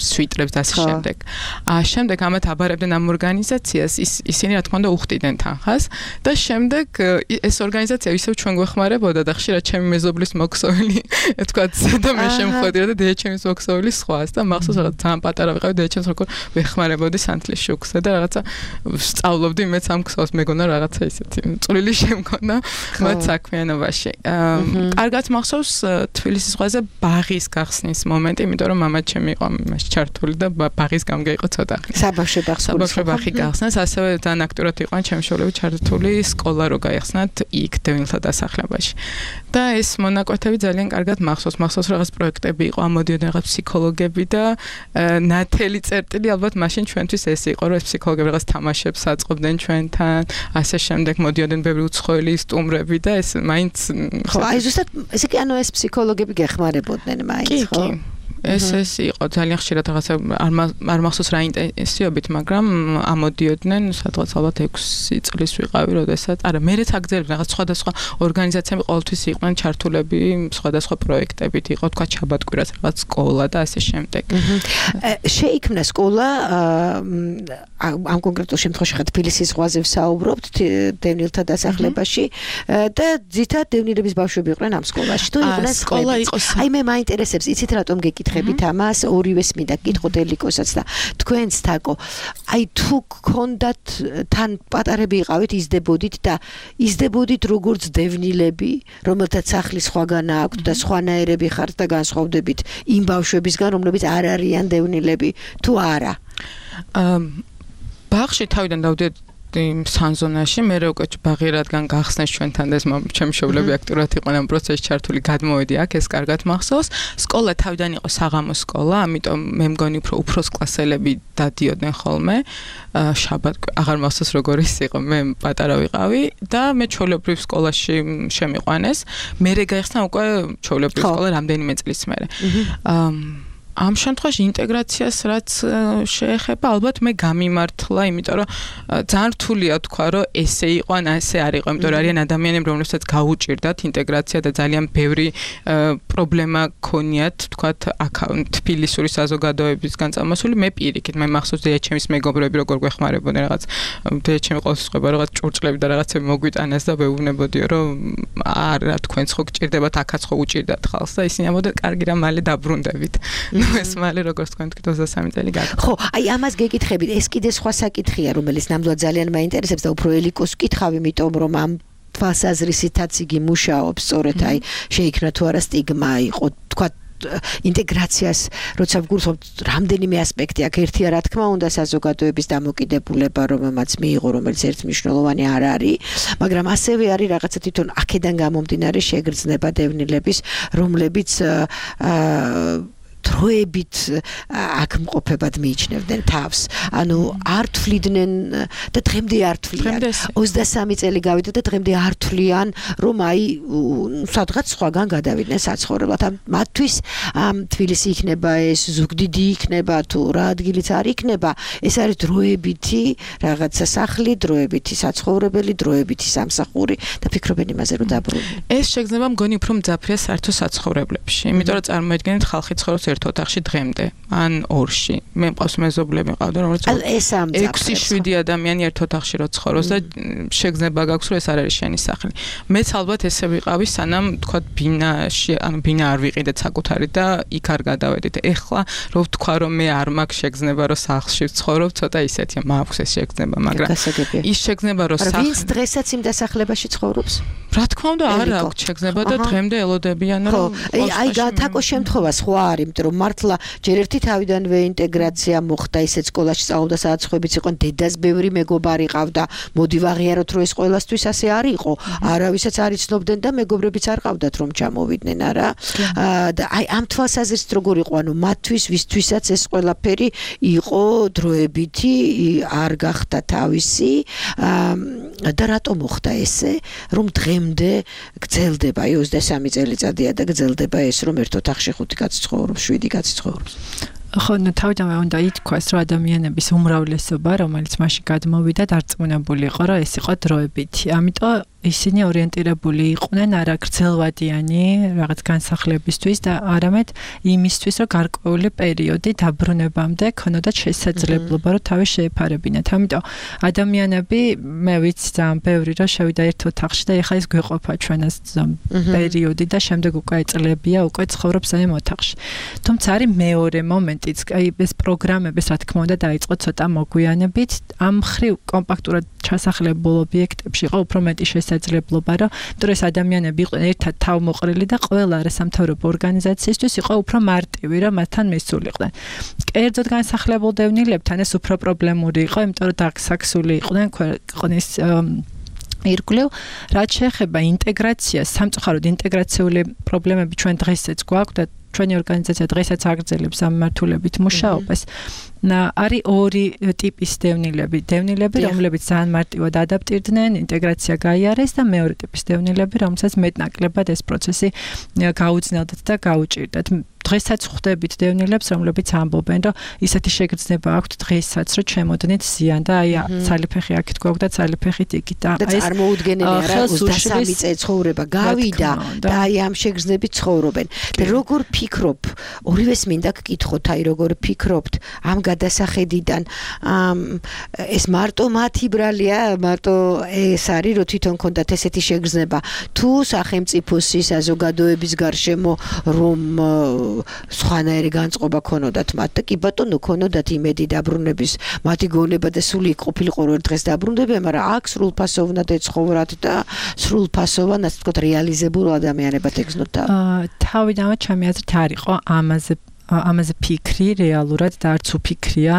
S11: სვიტრებს და ასე შემდეგ. აა შემდეგ ამათ აბარებდნენ ამ ორგანიზაციას, ის ისინი რა თქმა უნდა უხდიდნენ თანხას და შემდეგ ეს ორგანიზაცია ისევ ჩვენ გვეხმარებოდა და ხშირად ჩემი მეზობლის მოქსოვილი თქვა და მე შემხვედრა და დედაჩემის მოქსოვილი სხვას და მახსოვს რაღაც ძალიან პატარა ვიყავი დედაჩემს როგორ ვეხმარებოდი სანთლის შუქზე და რაღაცა სწავლობდი მეც ამ ქსოვს მეგონა რაღაცა ისეთი წვრილი შემქონა მათ საქმიანობაში. კარგად მახსოვს თბილისის ზღვაზე ბაღის გახსნის მომენტი, იმიტომ რომ მამა ჩემი იყო მას ჩართული და ბაღის გამგე იყო ცოტა.
S9: საბავშვო ბაღს
S11: საბავშვო ბაღი გახსნეს, ასევე ძალიან აქტიურად იყვნენ ჩემი მშობლები ჩართული სკოლა რო გაიხსნათ იქ დევნილთა დასახლებაში. და ეს მონაკვეთები ძალიან კარგად მახსოვს, მახსოვს რაღაც პროექტები იყო, ამოდიოდნენ რაღაც ფსიქოლოგები და ნათელი წერტილი ალბათ მაშინ ჩვენთვის ეს იყო, რომ ეს ფსიქოლოგები რაღაც თამაშებს აწყობდნენ ჩვენთან, ასე შემდეგ მოდიოდნენ ბევრი უცხოელი სტუმრები და ეს მაინც
S9: ხო, აი ზუსტად ესე კი ანუ ეს ფსიქოლოგები გეხმარებოდნენ მაინც, ხო?
S11: ეს ეს იყო ძალიან ხშირად რაღაცა არ მახსოვს რა ინტენსივობით, მაგრამ ამოდიოდნენ სადღაც ალბათ ექვსი წლის ვიყავი, როდესაც არა მერეც აგზელებდნენ რაღაც სხვადასხვა ორგანიზაციები ყოველთვის იყვნენ ჩართულები სხვადასხვა პროექტებით, იყო თქვა ჩაბატკვირას რაღაც სკოლა და ასე შემდეგ.
S9: შეიქმნა სკოლა ამ კონკრეტულ შემთხვევაში ხა თბილისის ზღვაზე ვსაუბრობთ დევნილთა დასახლებაში და ძირითადად დევნილების ბავშვები იყვნენ ამ სკოლაში. თუ იყვნენ
S11: სკოლა იყო
S9: აი მე მაინტერესებს, იცით რატომ გეკითხებით ამას, ორივეს მინდა გკითხოთ ელიკოსაც და თქვენც თაკო. აი თუ გქონდათ თან პატარები იყავით, იზრდებოდით და იზრდებოდით როგორც დევნილები, რომელთაც სახლის სხვაგან აქვთ და სხვანაირები ხართ და განსხვავდებით იმ ბავშვებისგან, რომლებიც არ არიან დევნილები, თუ არა?
S11: ბაღში თავიდან დავდიოდი სანზონაში, მე რო უკვე ბაღი რადგან გახსნეს ჩვენთან და ეს ჩემი მშობლები აქტიურად იყვნენ ამ პროცესში ჩართული, გადმოვედი აქ, ეს კარგად მახსოვს. სკოლა თავიდან იყო საღამო სკოლა, ამიტომ მე მგონი უფრო უფროს კლასელები დადიოდნენ ხოლმე. შაბათ აღარ მახსოვს როგორ ის იყო, მე პატარა ვიყავი და მე ჩვეულებრივ სკოლაში შემიყვანეს. მერე გაიხსნა უკვე ჩვეულებრივ სკოლა რამდენიმე წლის მერე. ამ შემთხვევაში ინტეგრაციას რაც შეეხება, ალბათ მე გამიმართლა, იმიტომ რომ ძალიან რთულია თქვა, რომ ესე იყო ან ასე არ იყო, იმიტომ რომ არიან ადამიანები, რომლებსაც გაუჭირდათ ინტეგრაცია და ძალიან ბევრი პრობლემა ქონიათ, თქვათ, აქ თბილისური საზოგადოებისგან წამოსული, მე პირიქით, მე მახსოვს დედაჩემის მეგობრები როგორ გვეხმარებოდნენ რაღაც დედაჩემი ყოველთვის ყვება რაღაც ჭურჭლები და რაღაცები მოგვიტანეს და ვეუბნებოდიო, რომ არა, თქვენც ხო გჭირდებათ, აქაც ხო უჭირდათ ხალხს და ისინი ამბობდნენ, კარგი რა, მალე დაბრუნდებით. ეს მალე როგორც თქვენ თქვით ოცდასამი წელი გაგა.
S9: ხო, აი ამას გეკითხებით, ეს კიდე სხვა საკითხია, რომელიც ნამდვილად ძალიან მაინტერესებს და უფრო ელიკოს ვკითხავ, იმიტომ რომ ამ თვალსაზრისითაც იგი მუშაობს, სწორედ აი შეიქმნა თუ არა სტიგმა, იყო თქვა ინტეგრაციას, როცა ვგულისხმობთ, რამდენიმე ასპექტი აქ ერთია, რა თქმა უნდა, საზოგადოების დამოკიდებულება, რომელმაც მიიღო, რომელიც ერთმნიშვნელოვანი არ არის, მაგრამ ასევე არის რაღაცა თვითონ აქედან გამომდინარე შეგრძნება დევნილების, რომლებიც აა დროებით აქ მყოფებად მიიჩნევდნენ თავს. ანუ არ თვლიდნენ და დღემდე არ თვლიან. ოცდასამი წელი გავიდა და დღემდე არ თვლიან, რომ აი სადღაც სხვაგან გადავიდნენ საცხოვრებლად. მათთვის თბილისი იქნება ეს, ზუგდიდი იქნება თუ რა ადგილიც არ იქნება, ეს არის დროებითი რაღაცა სახლი, დროებითი საცხოვრებელი, დროებითი სამსახური და ფიქრობენ იმაზე, რომ დაბრუნდნენ.
S11: ეს შეგრძნება მგონი უფრო მძაფრია საერთო საცხოვრებლებში, იმიტომ რომ წარმოიდგინეთ ხალხი ცხოვრობს ერთ ოთახში დღემდე, ან ორში. მე მყავს მეზობლები მყავდა, რომელიც ექვსი შვიდი ადამიანი ერთ ოთახში რო ცხოვრობს და შეგრძნება გაქვს, რომ ეს არ არის შენი სახლი. მეც ალბათ ესე ვიყავი, სანამ თქვა ბინაში, ანუ ბინა არ ვიყიდეთ საკუთარი და იქ არ გადავედით. ეხლა რო ვთქვა, რომ მე არ მაქვს შეგრძნება, რომ სახლში ვცხოვრობ, ცოტა ისეთია, მაქვს ეს შეგრძნება, მაგრამ ის შეგრძნება, რომ
S9: სახლი ვინც დღესაც იმ დასახლებაში ცხოვრობს?
S11: რა თქმა უნდა, არ აქვს შეგრძნება და დღემდე ელოდებიან, რომ
S9: აი თაკო შემთხვევა სხვა არის, იმიტომ რომ მართლა ჯერ ერთი თავიდანვე ინტეგრაცია მოხდა, ისეთ სკოლაში სწავლობდა, სადაც ხვებიც იყო, დედას ბევრი მეგობარი ყავდა, მოდი ვაღიაროთ, რომ ეს ყველასთვის ასე არ იყო. არავისაც არ იცნობდნენ და მეგობრებიც არ ყავდათ, რომ ჩამოვიდნენ, არა? და აი ამ თვალსაზრისით როგორ იყო, ანუ მათთვის, ვისთვისაც ეს ყველაფერი იყო დროებითი, არ გახდა თავისი და რატომ მოხდა ესე, რომ დღემდე გრძელდება, აი ოცდასამი წელიწადია და გრძელდება ეს, რომ ერთ ოთახში ხუთი კაცი ცხოვრობს, შვიდი კაცი ცხოვრობს.
S10: ხო, ნუ თავიდანვე უნდა ითქვას, რომ ადამიანების უმრავლესობა, რომელიც მაშინ გადმოვიდა, დარწმუნებული იყო, რომ ეს იყო დროებითი. ამიტომ ისინი ორიენტირებული იყვნენ არა გრძელვადიანი რაღაც განსახლებისთვის და არამედ იმისთვის, რომ გარკვეული პერიოდი დაბრუნებამდე ქონოდათ შესაძლებლობა, რომ თავი შეეფარებინათ. ამიტომ ადამიანები, მე ვიცი ძალიან ბევრი, რომ შევიდა ერთ ოთახში და ეხლა ის გვეყოფა ჩვენას პერიოდი და შემდეგ უკვე წლებია, უკვე ცხოვრობს ამ ოთახში. თუმცა არის მეორე მომენტიც, აი ეს პროგრამების რა თქმა უნდა დაიწყო ცოტა მოგვიანებით, ამ ხრივ კომპაქტურად ჩასახლებულ ობიექტებში იყო უფრო მეტი შესაძლებლობა, რომ იმიტომ ეს ადამიანები იყვნენ ერთად თავმოყრილი და ყველა არასამთავრობო ორგანიზაციისთვის იყო უფრო მარტივი, რომ მათთან მისულიყვნენ. კერძოდ განსახლებულ დევნილებთან ეს უფრო პრობლემური იყო, იმიტომ რომ დაგსაქსული იყვნენ ქვეყნის ირგვლივ, რაც შეეხება ინტეგრაციას, სამწუხაროდ ინტეგრაციული პრობლემები ჩვენ დღესაც გვაქვს და ჩვენი ორგანიზაცია დღესაც აგრძელებს ამ მართულებით მუშაობას. არის ორი ტიპის დევნილები, დევნილები, რომლებიც ძალიან მარტივად ადაპტირდნენ, ინტეგრაცია გაიარეს და მეორე ტიპის დევნილები, რომელსაც მეტნაკლებად ეს პროცესი გაუძნელდათ და გაუჭირდათ. დღესაც ხვდებით დევნილებს, რომლებიც ამბობენ, რომ ისეთი შეგრძნება აქვთ დღესაც, რომ ჩემოდნით ზიან და აი ცალიფეხი აქეთ გვაქვს და ცალიფეხით იქით და
S9: ეს წარმოუდგენელი არა ოცდასამი წელი ცხოვრება გავიდა და აი ამ შეგრძნებით ცხოვრობენ. და როგორ ფიქრობ, ორივეს მინდა გკითხოთ, აი როგორ ფიქრობთ ამ გადასახედიდან ეს მარტო მათი ბრალია, მარტო ეს არის, რომ თვითონ ქონდათ ესეთი შეგრძნება, თუ სახელმწიფოს საზოგადოების გარშემო რომ სხვანაირი განწყობა ქონოდათ მათ და კი ბატონო ქონოდათ იმედი დაბრუნების, მათი გონება და სული ყოფილიყო რომ დღეს დაბრუნდებიან, მაგრამ აქ სრულფასოვნად ეცხოვრათ და სრულფასოვან, ასე ვთქვათ, რეალიზებულ ადამიანებად ეგზნოთ.
S10: თავიდანვე ჩემი აზრით არ იყო ამაზე ამაზე ფიქრი რეალურად და არც უფიქრია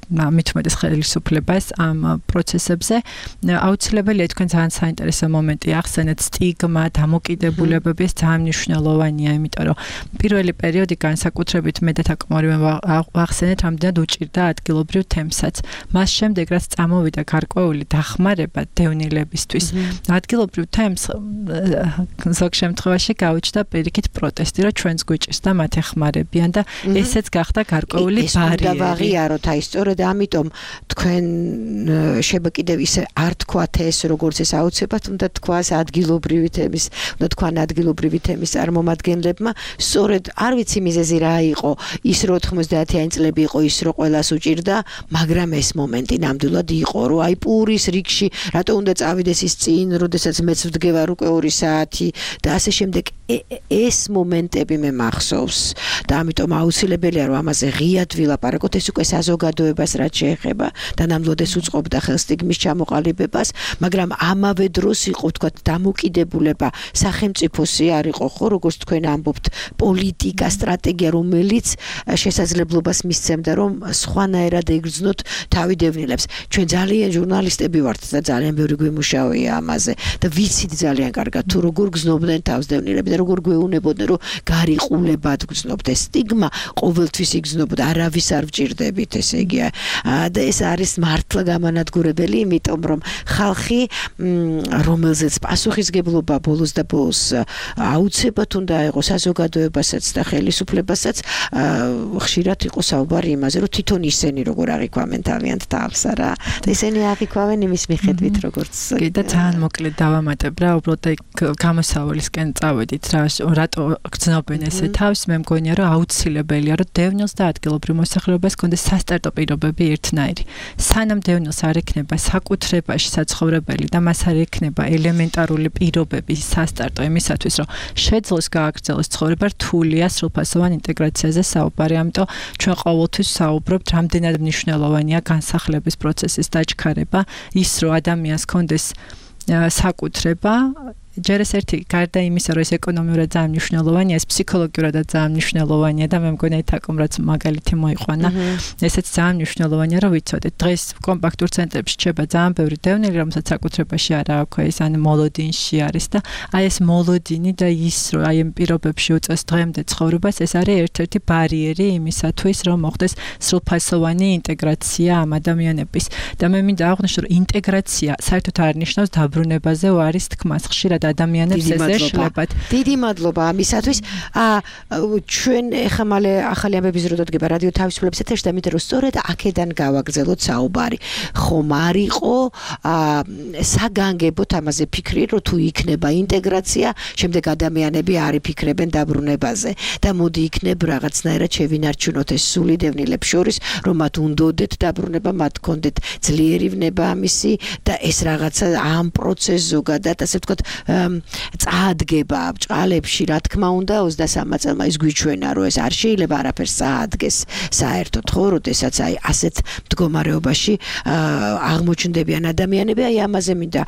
S10: მით უმეტეს ხელისუფლებას ამ პროცესებზე. აუცილებელია თქვენ ძალიან საინტერესო მომენტი ახსენეთ, სტიგმა, დამოკიდებულებები ეს ძალიან მნიშვნელოვანია, იმიტომ რომ პირველი პერიოდი განსაკუთრებით მე და თაკმორივე ვახსენეთ, რამდენად უჭირდა ადგილობრივ თემსაც. მას შემდეგ რაც წამოვიდა გარკვეული დახმარება დევნილებისთვის, ადგილობრივ თემს ზოგ შემთხვევაში გაუჩნდა პირიქით პროტესტი, რომ ჩვენს გვიჭირს და მათ ეხმარებიან და ესეც გახდა გარკვეული ბარიერი.
S9: და ვაღიაროთ აი სწორედ და ამიტომ თქვენ შეიძლება კიდევ ისე არ თქვათ ეს როგორც ეს აუცილებლად უნდა თქვას ადგილობრივი თემის უნდა თქვან ადგილობრივი თემის წარმომადგენლებმა სწორედ არ ვიცი მიზეზი რა იყო ის რომ ოთხმოცდაათიანი წლები იყო ის რომ ყველას უჭირდა მაგრამ ეს მომენტი ნამდვილად იყო რომ აი პურის რიგში რატო უნდა წავიდეს ის წინ როდესაც მეც ვდგევარ უკვე ორი საათი და ასე შემდეგ ეს მომენტები მე მახსოვს და ამიტომ აუცილებელია რომ ამაზე ღიად ვილაპარაკოთ ეს უკვე საზოგადოებას რაც შეეხება და ნამდვილად ეს უწყობდა ხელს სტიგმის ჩამოყალიბებას მაგრამ ამავე დროს იყო თქვა დამოკიდებულება სახელმწიფოსი არ იყო ხო როგორც თქვენ ამბობთ პოლიტიკა სტრატეგია რომელიც შესაძლებლობას მისცემდა რომ სხვანაირად ეგრძნოთ თავიდევნილებს ჩვენ ძალიან ჟურნალისტები ვართ და ძალიან ბევრი გვიმუშავია ამაზე და ვიცით ძალიან კარგად თუ როგორ გზნობდნენ თავდევნილები და როგორ გვეუბნებოდნენ რომ გარიყულებად გზნობთ ეს სტიგმა ყოველთვის იგზნობდა არავის არ ვჭირდებით ესე იგი და ეს არის მართლა გამანადგურებელი იმიტომ რომ ხალხი რომელზეც პასუხისგებლობა ბოლოს და ბოლოს აუცილებლად უნდა იყოს საზოგადოებასაც და ხელისუფლებასაც ხშირად იყო საუბარი იმაზე რომ თვითონ ისინი როგორ აღიქვამენ თავიანთ თავს რა ესენი აღიქვამენ იმის მიხედვით როგორც
S10: კი და ძალიან მოკლედ დავამატებ რა უბრალოდ გამოსავალისკენ წავედით რა რატო გრძნობენ ესე თავს მე მგონია რომ აუცილებელია რომ დევნილს და ადგილობრივ მოსახლეობას კონდეს სასტარტო პირობები ერთნაირი სანამ დევნილს არ ექნება საკუთრებაში საცხოვრებელი და მას არ ექნება ელემენტარული პირობები სასტარტო იმისათვის რომ შეძლოს გააგრძელოს ცხოვრება რთულია სრულფასოვან ინტეგრაციაზე საუბარი ამიტომ ჩვენ ყოველთვის საუბრობთ რამდენად მნიშვნელოვანია განსახლების პროცესის დაჩქარება ის რომ ადამიანს კონდეს საკუთრება ჯერ ეს ერთი გარდა იმისა რომ ეს ეკონომიურად ძალიან მნიშვნელოვანია ეს ფსიქოლოგიურადაც ძალიან მნიშვნელოვანია და მე მგონია თაკომ რაც მაგალითი მოიყვანა ესეც ძალიან მნიშვნელოვანია რომ ვიცოდეთ დღეს კომპაქტურ ცენტრებში ჩება ძალიან ბევრი დევნილი რომელსაც საკუთრებაში არა აქვს ეს ან მოლოდინში არის და აი ეს მოლოდინი და ის რომ აი ამ პირობებში უწევს დღემდე ცხოვრებას ეს არის ერთ-ერთი ბარიერი იმისათვის რომ მოხდეს სრულფასოვანი ინტეგრაცია ამ ადამიანების და მე მინდა აღვნიშნო რომ ინტეგრაცია საერთოდ არ ნიშნავს დაბრუნებაზე არის თქმას ხშირად ადამიანებს ეს ეშლებათ.
S9: დიდი მადლობა ამისათვის. აა ჩვენ ეხლა მალე ახალი ამბების რო დადგება რადიო თავისუფლების ეთერში და მითხრა რომ სწორედ აქედან გავაგრძელოთ საუბარი. ხომ არ იყო აა საგანგებოდ ამაზე ფიქრი რომ თუ იქნება ინტეგრაცია, შემდეგ ადამიანები არ იფიქრებენ დაბრუნებაზე და მოდი იქნებ რაღაცნაირად შევინარჩუნოთ ეს სულიდევნილებს შორის, რომ მათ უნდოდეთ დაბრუნება, მათ კონდეთ ძლიერი ვნება ამისი და ეს რაღაცა ამ პროცესს ზოგადად ასე ვთქვათ წაადგება ბჭყალებში, რა თქმა უნდა ოცდასამი წელმა ის გვიჩვენა რომ ეს არ შეიძლება არაფერს წაადგეს საერთოდ ხო, როდესაც აი ასეთ მდგომარეობაში აღმოჩნდებიან ადამიანები, აი ამაზე მინდა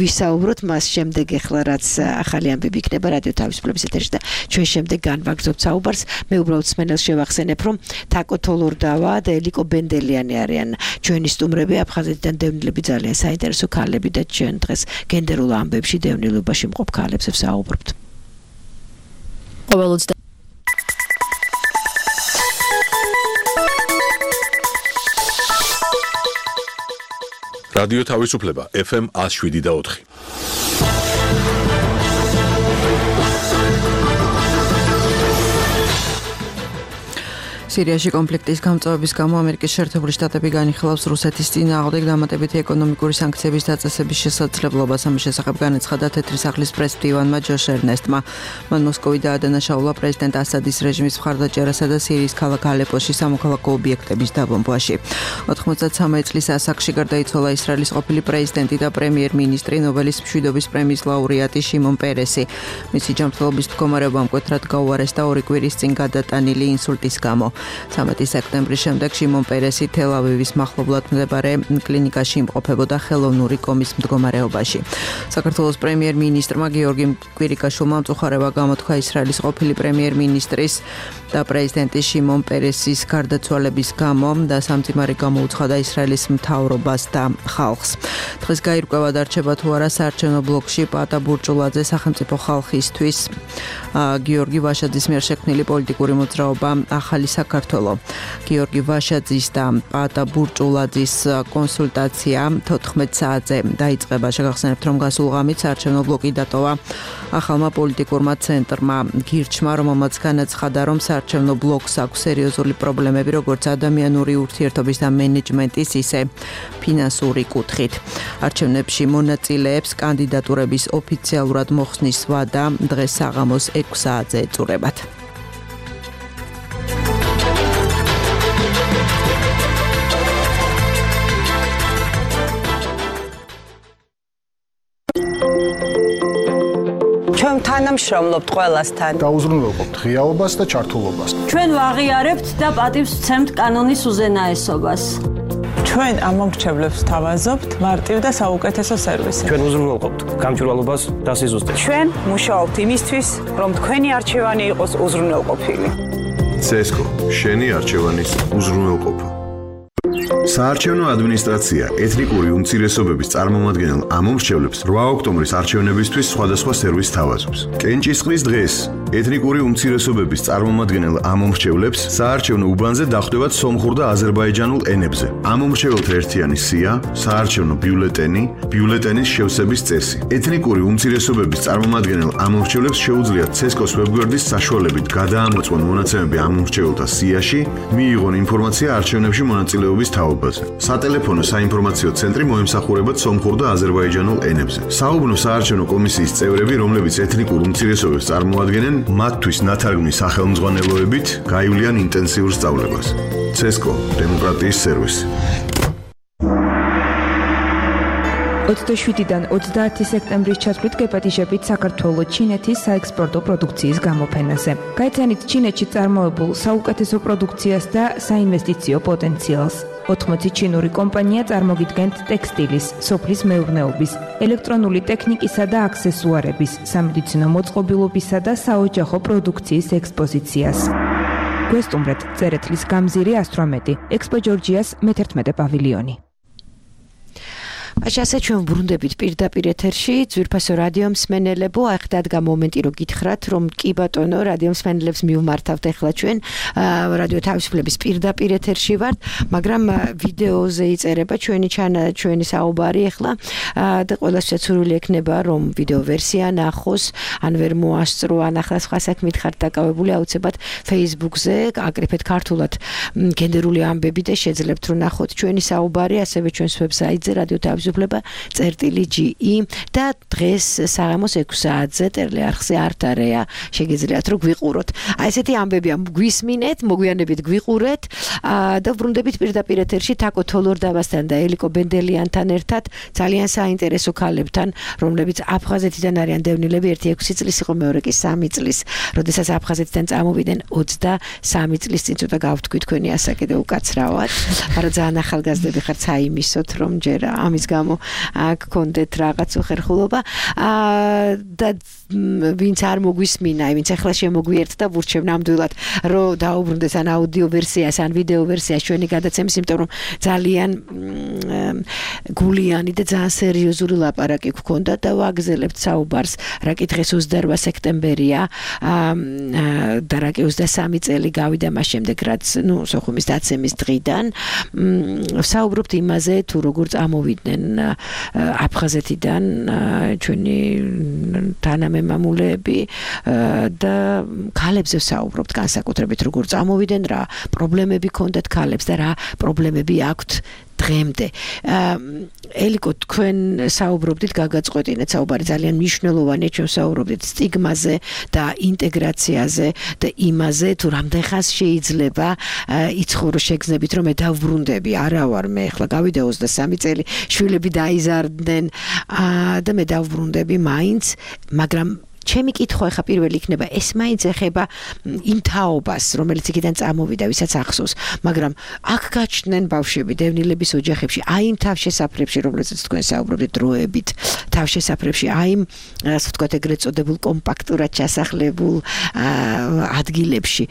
S9: ვისაუბროთ მას შემდეგ ეხლა რაც ახალი ამბები იქნება რადიო თავისუფლების ეთერში და ჩვენ შემდეგ განვაგრძობთ საუბარს. მე უბრალოდ სმენელს შევახსენებ რომ თაკო თოლორდავა და ელიკო ბენდელიანი არიან ჩვენი სტუმრები აფხაზეთიდან დევნილები ძალიან საინტერესო ქალები და ჩვენ დღეს გენდერულ ამბებში დევნილობაში მყოფ ქალებს ვსაუბრობთ. ყოველ
S1: რადიო თავისუფლება ეფ ემ one oh seven და four.
S2: სირიაში კონფლიქტის გამწვავების გამო ამერიკის შეერთებული შტატები განიხილავს რუსეთის წინააღმდეგ დამატებითი ეკონომიკური სანქციების დაწესების შესაძლებლობას. ამის შესახებ განაცხადა თეთრი სახლის პრესმდივანმა ჯოშ ერნესტმა. მან მოსკოვი დაადანაშაულა პრეზიდენტ ასადის რეჟიმის მხარდაჭერასა და სირიის ქალაქ ალეპოში სამოქალაქო ობიექტების დაბომბვაში. ოთხმოცდათსამი წლის ასაკში გარდაიცვალა ისრაელის ყოფილი პრეზიდენტი და პრემიერ-მინისტრი, ნობელის მშვიდობის პრემიის ლაურეატი შიმონ პერესი. მისი ჯანმრთელობის მდგომარეობა მკვეთრად გაუარესდა ორი კვირის წინ გადატანილი ინსულტის გამო. ცამეტი სექტემბრის შემდეგ შიმონ პერესი თელ-ავივის მახლობლად მდებარე კლინიკაში იმყოფებოდა ხელოვნური კომის მდგომარეობაში. საქართველოს პრემიერ-მინისტრმა გიორგი კვირიკაშვილმა მწუხარება გამოთქვა ისრაელის ყოფილი პრემიერ-მინისტრის და პრეზიდენტის შიმონ პერესის გარდაცვალების გამო და სამძიმარი გამოუცხადა ისრაელის მთავრობას და ხალხს. დღეს გაირკვევა დარჩება თუ არა საარჩევნო ბლოკში პატა ბურჭულაძე სახელმწიფო ხალხისთვის გიორგი ვაშაძის მიერ შექმნილი პოლიტიკური მოძრაობა ახალი საქართველო. გიორგი ვაშაძის და პატა ბურჭულაძის კონსულტაცია თოთხმეტ საათზე დაიწყება. შეგახსენებთ რომ გასულ ღამით საარჩევნო ბლოკი დატოვა ახალმა პოლიტიკურმა ცენტრმა გირჩმა, რომელმაც განაცხადა რომ საარჩევნო ბლოკს აქვს სერიოზული პრობლემები როგორც ადამიანური ურთიერთობის და მენეჯმენტის, ისე ფინანსური კუთხით. არჩევნებში მონაწილეებს კანდიდატურების ოფიციალურად მოხსნის ვადა დღეს საღამოს ექვსი საათზე ეწურებათ.
S6: ჩვენ თანამშრომლობთ ყველასთან.
S12: დაუზრუნველყოფთ ღიაობას და ჩართულობას.
S13: ჩვენ ვაღიარებთ და პატივს ვცემთ კანონის უზენაესობას.
S6: ჩვენ ამომრჩევლებს თავაზობთ მარტივ და საუკეთესო სერვისებს.
S14: ჩვენ უზრუნველყოფთ გამჭვირვალობას და სიზუსტეს.
S6: ჩვენ მუშაობთ იმისთვის, რომ თქვენი არჩევანი იყოს უზრუნველყოფილი.
S7: ცესკო, შენი არჩევანის უზრუნველყოფა. საარჩევნო ადმინისტრაცია ეთნიკური უმცირესობების წარმომადგენელ ამომრჩევლებს რვა ოქტომბრის არჩევნებისთვის სხვადასხვა სერვისს თავაზობს. კენჭისყრის დღეს ეთნიკური უმცირესობების წარმომადგენელ ამომრჩევლებს საარჩევნო უბანზე დახვდებათ სომხურ და აზერბაიჯანულ ენებზე. ამომრჩეველთა ერთიანი სია, საარჩევნო ბიულეტენი, ბიულეტენის შევსების წესი. ეთნიკური უმცირესობების წარმომადგენელ ამომრჩევლებს შეუძლიათ ცესკოს ვებგვერდის საშუალებით გადაამოწმონ მონაცემები ამომრჩეველთა სიაში, მიიღონ ინფორმაცია არჩევნებში მონაწილეობის თაობაზე. სატელეფონო საინფორმაციო ცენტრი მოემსახურებათ სომხურ და აზერბაიჯანულ ენებზე. საუბნო საარჩევნო კომისიის წევრები, რომლებიც ეთნიკურ უმცირესობებს წარმოადგენენ, მათთვის ნათარგმნის სახელმძღვანელოებით გაივლიან ინტენსიურ სწავლებას. ცესკო, დემოკრატიის სერვისი.
S8: ოცდაშვიდიდან ოცდაათი სექტემბრის ჩათვლით გეპატიჟებით საქართველოს ჩინეთის საექსპორტო პროდუქციის გამოფენაზე. გაიცანით ჩინეთში წარმოებულ საუკეთესო პროდუქციას და საინვესტიციო პოტენციალს. ოთხმოცი ჩინური კომპანია წარმოგიდგენთ ტექსტილის, სოფლის მეურნეობის, ელექტრონული ტექნიკისა და აქსესუარების, სამედიცინო მოწყობილობისა და საოჯახო პროდუქციის ექსპოზიციას. გვესტუმრეთ წერეთლის გამზირი ასტრომეტი, ექსპო ჯორჯიას მეთერთმეტე პავილიონი.
S9: ასე ჩვენ ბრუნდებით პირდაპირ ეთერში ძვირფასო რადიო მსმენელებო, აი ხა დადგა მომენტი რომ გითხრათ რომ კი ბატონო რადიო მსმენელებს მივმართავთ ახლა ჩვენ რადიო თავისუფლების პირდაპირ ეთერში ვართ, მაგრამ ვიდეოზე იწერება ჩვენი ჩვენი საუბარი ახლა და ყველასთვის სურვილი ექნება რომ ვიდეო ვერსია ნახოს, ან ვერ მოასწრო, ან ახლა სხვა საქმით ხართ დაკავებული, აუცილებლად Facebook-ზე აკრიფეთ ქართულად გენდერული ამბები და შეძლებთ რომ ნახოთ ჩვენი საუბარი, ასევე ჩვენს ვებსაიტზე რადიო თავისუფლება წერტილი ჯი ი და დღეს საღამოს ექვსი საათზე ტელეარხზე არტარეა შეგიძლიათ რომ გვიყუროთ. აი ესეთი ამბებია გვისმინეთ, მოგვიანებით გვიყურეთ და ვრუნდებით პირდაპირ ეთერში თაკო თოლორდავასთან და ელიკო ბენდელიანთან ერთად ძალიან საინტერესო ქალებთან, რომლებიც აფხაზეთიდან არიან დევნილები, ერთი ექვსი წლის იყო, მეორე კი სამი წლის, როდესაც აფხაზეთიდან წამოვიდნენ ოცდასამი წლის წინ ცოტა გავთქვი თქვენი ასაკი და უკაცრავად, მაგრამ ძალიან ახალგაზრდები ხართ, საიმისოთ რომ ჯერ ამის გამო აქ გქონდეთ რაღაც უხერხულობა და ვინც არ მოგვისმინა, ვინც ახლა შემოგვიერთდა, ვურჩევ ნამდვილად რომ დაუბრუნდეს ან აუდიო ვერსიას, ან ვიდეო ვერსიას ჩვენი გადაცემის, იმიტომ რომ ძალიან გულიანი და ძალიან სერიოზული ლაპარაკი გქონდა და ვაგზელებთ საუბარს, რა კი დღეს ოცდაორ სექტემბერია და რა კი ოცდასამი წელი გავიდა მას შემდეგ, რაც ნუ სოხუმის დაცემის დღიდან საუბრობთ იმაზე თუ როგორ წამოვიდნენ აფხაზეთიდან ჩვენი თანამემამულეები და ქალებზე საუბრობთ განსაკუთრებით როგორ წამოვიდნენ, რა პრობლემები ჰქონდათ ქალებს და რა პრობლემები აქვთ დღემდე. ელიკო, თქვენ საუბრობდით, გაგაწყვეტინეთ საუბარი ძალიან მნიშვნელოვანია, ჩვენ საუბრობდით სტიგმაზე და ინტეგრაციაზე და იმაზე, თუ რამდენ ხანს შეიძლება იცხოვრო შეგრძნებით, რომ მე დავბრუნდები, არა ვარ მე ახლა გავიდა ოცდასამი წელი, შვილები დაიზარდნენ და მე დავბრუნდები მაინც, მაგრამ ჩემი კითხვა ხა პირველი იქნება, ეს მაინც ეხება იმ თაობას, რომელიც იქიდან წამოვიდა, ვისაც ახსოვს, მაგრამ აქ გაჩნდნენ ბავშვები დევნილების ოჯახებში, აი იმ თავშესაფრებში, რომლებზეც თქვენ საუბრობთ დროებით, თავშესაფრებში, აი იმ ასე ვთქვათ, ეგრეთ წოდებულ კომპაქტურად ჩასახლებულ ადგილებში,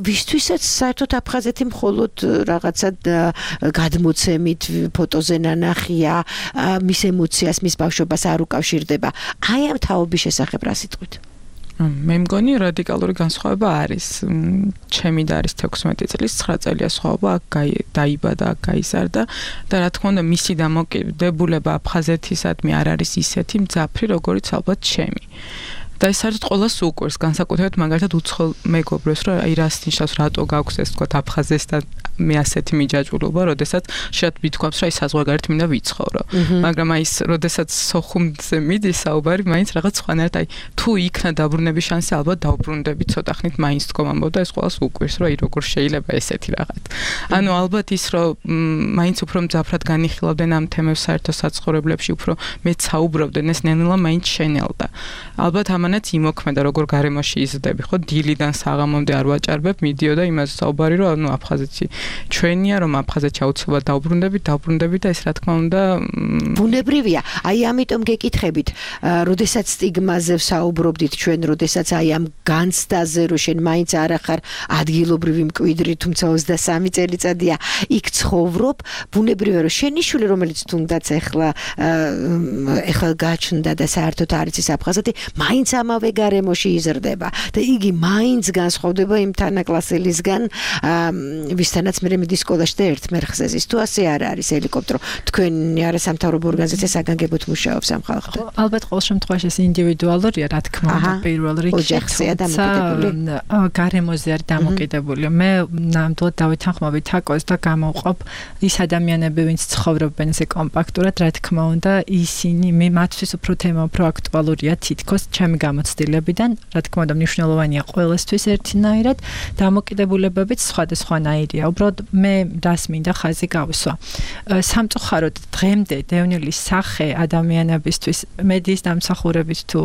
S9: ვისთვისაც საერთოდ აფხაზეთი მხოლოდ რაღაცა გადმოცემით, ფოტოზე ნანახია, მის ემოციას, მის ბავშვობას არ უკავშირდება. აი ამ თაობის შესახებ რა
S11: მე მგონი რადიკალური განსხვავება არის. ჩემი და არის თექვსმეტი წლის, ცხრა წელია სხვაობა, აქ დაიბადა, აქ გაიზარდა და რა თქმა უნდა მისი დამოკიდებულება აფხაზეთისადმი არ არის ისეთი მძაფრი, როგორიც ალბათ ჩემი. და ეს საერთოდ ყველას უყვარს, განსაკუთრებით მაგალითად უცხოელ მეგობრებს, რომ აი რას ნიშნავს, რატო გაქვს ეს თქვა აფხაზეთთან მე ასეთი მიჯაჭვულობა, როდესაც შეიძლება ვთქვამს, რომ აი საზღვარგარეთ მინდა ვიცხოვრო. მაგრამ აი ეს როდესაც სოხუმზე მიდის საუბარი, მაინც რაღაც სხვანაირად, აი თუ იქნა დაბრუნების შანსი, ალბათ დავბრუნდები ცოტა ხნით, მაინც თქო ამბობდა, ეს ყველას უყვარს, რომ აი როგორ შეიძლება ესეთი რაღაც. ანუ ალბათ ის რომ მაინც უფრო მძაფრად განიხილავდნენ ამ თემებს საერთო საცხოვრებლებში, უფრო მეც საუბრობდნენ, ეს ნელ-ნელა მაინც შენელდა. ალბათ ამანაც იმოქმედა, როგორ გარემოში იზრდები, ხო, დილიდან საღამომდე არ ვაჭარბებ, მიდიოდა იმაზე საუბარი, რომ ანუ აფხაზეთი ჩვენია, რომ აფხაზეთში აუცილებლად დავბრუნდებით, დავბრუნდებით და ეს რა თქმა უნდა
S9: ბუნებრივია. აი ამიტომ გეკითხებით, როდესაც სტიგმაზე საუბრობდით ჩვენ, როდესაც აი ამ განცდაზე, რომ შენ მაინც არ ახარ ადგილობრივი მკვიდრი, თუმცა ოცდასამი წელიწადია იქ ცხოვრობ, ბუნებრივია, რომ შენი შვილი, რომელიც თუნდაც ახლა ახლა გაჩნდა და საერთოდ არ იცის აფხაზეთი, მაინც ამავე გარემოში იზრდება და იგი მაინც განსხვავდება იმ თანაკლასელისგან, ვისთანაც მე მიდის სკოლაში და ერთ მერხზე ზის. თუ ასე არ არის, ელიკოპტრო, თქვენი არასამთავრობო ორგანიზაცია საგანგებოდ მუშაობს ამ ხალხთან.
S10: ალბათ ყოველ შემთხვევაში ეს ინდივიდუალურია, რა თქმა უნდა, პირველ რიგში.
S9: ოჯახზეა დამოკიდებული.
S10: გარემოზე არის დამოკიდებული. მე ნამდვილად დავითანხმობი თაკოს და გამოვყოფ ის ადამიანები, ვინც ცხოვრობენ ესე კომპაქტურად, რა თქმა უნდა, ისინი მე მათთვის უფრო თემა უფრო აქტუალურია თითქოს ჩემი გამოცდილებიდან, რა თქმა უნდა, მნიშვნელოვანია ყველასთვის ერთნაირად, დამოკიდებულებებიც სხვადასხვანაირია. უბრალოდ მე რას მინდა ხაზი გავუსვა. სამწუხაროდ დღემდე დევნილის სახე ადამიანებისთვის მედიის დამსახურებით თუ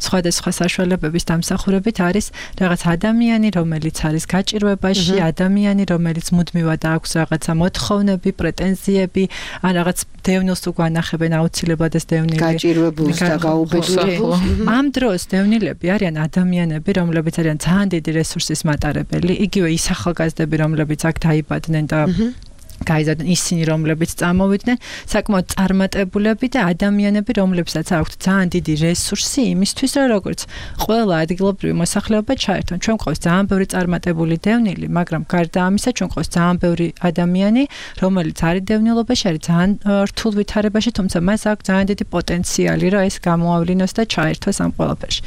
S10: სხვადასხვა საშუალებების დამსახურებით არის რაღაც ადამიანი, რომელიც არის გაჭირვებაში, ადამიანი, რომელიც მუდმივად აქვს რაღაცა მოთხოვნები, პრეტენზიები, ან რაღაც დევნილს თუ განახებენ აუცილებლად ეს დევნილი
S9: გაჭირვებულს და გაუბედურებულს.
S10: ამ დროს დევნილები არიან ადამიანები, რომლებიც არიან ძალიან დიდი რესურსის მატარებელი, იგივე ის ახალგაზრდები, რომლებიც აქ დაიბადნენ და გაიზარდნენ ისინი, რომლებიც წამოვიდნენ, საკმაოდ წარმატებულები და ადამიანები, რომლებსაც აქვთ ძალიან დიდი რესურსი იმისთვის, რომ როგორც ყველა ადგილობრივი მოსახლეობა ჩაერთონ. ჩვენ გვყავს ძალიან ბევრი წარმატებული დევნილი, მაგრამ გარდა ამისა, ჩვენ გვყავს ძალიან ბევრი ადამიანი, რომელიც არის დევნილობაში, არის ძალიან რთულ ვითარებაში, თუმცა მას აქვს ძალიან დიდი პოტენციალი, რომ ეს გამოავლინოს და ჩაერთოს ამ ყველაფერში.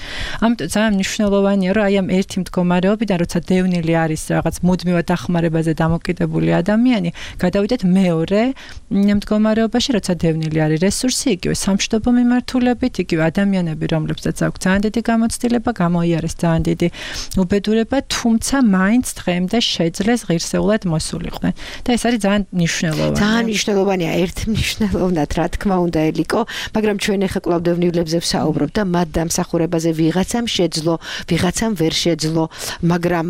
S10: ამიტომ ძალიან მნიშვნელოვანია, რომ აი ამ ერთი მდგომარეობიდან, როცა დევნილი არის რაღაც მუდმივად დახმარებაზე დამოკიდებული ადამიანი, გადავიდეთ მეორე მდგომარეობაში, როცა დევნილი არის რესურსი, იგივე სამშვიდობო მიმართულებით, იგივე ადამიანები, რომლებსაც აქვს ძალიან დიდი გამოცდილება, გამოიარეს ძალიან დიდი უბედურება, თუმცა მაინც დღემდე შეძლეს ღირსეულად მოსულიყვნენ. და ეს არის ძალიან მნიშვნელოვანი.
S9: ძალიან მნიშვნელოვანია, ერთ მნიშვნელოვნად, რა თქმა უნდა, ელიკო, მაგრამ ჩვენ ახლა კვლავ დევნილებზე ვსაუბრობ და მათ დამსახურებაზე ვიღაცამ შეძლო, ვიღაცამ ვერ შეძლო, მაგრამ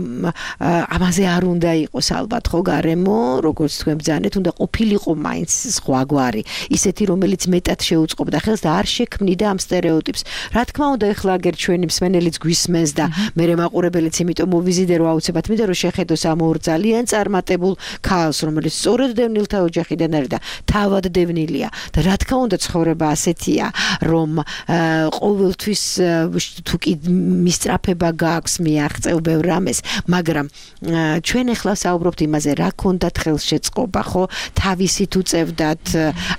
S9: ამაზე არ უნდა იყოს ალბათ ხო გარემო, როგორც თქვენ ბრძანეთ, უნდა ყოფილიყო მაინც სხვაგვარი, ისეთი რომელიც მეტად შეუწყობდა ხელს და არ შექმნიდა ამ სტერეოტიპს. რა თქმა უნდა, ახლა აგერ ჩვენი მსმენელიც გვისმენს და მე მაყურებელიც, იმიტომ მოვიზიდე რომ აუცილებლად მინდა რომ შეხედოს ამ ორ ძალიან წარმატებულ ქალს, რომელიც სწორედ დევნილთა ოჯახიდან არის და თავად დევნილია. და რა თქმა უნდა, ცხოვრება ასეთია, რომ ყოველთვის თუ კი მისწრაფება გააქვს, მიაღწევ ბევრ რამეს, მაგრამ ჩვენ ახლა საუბრობთ იმაზე, რა ქონდათ ხელშეწყობა, ხო? თავისით უწევდათ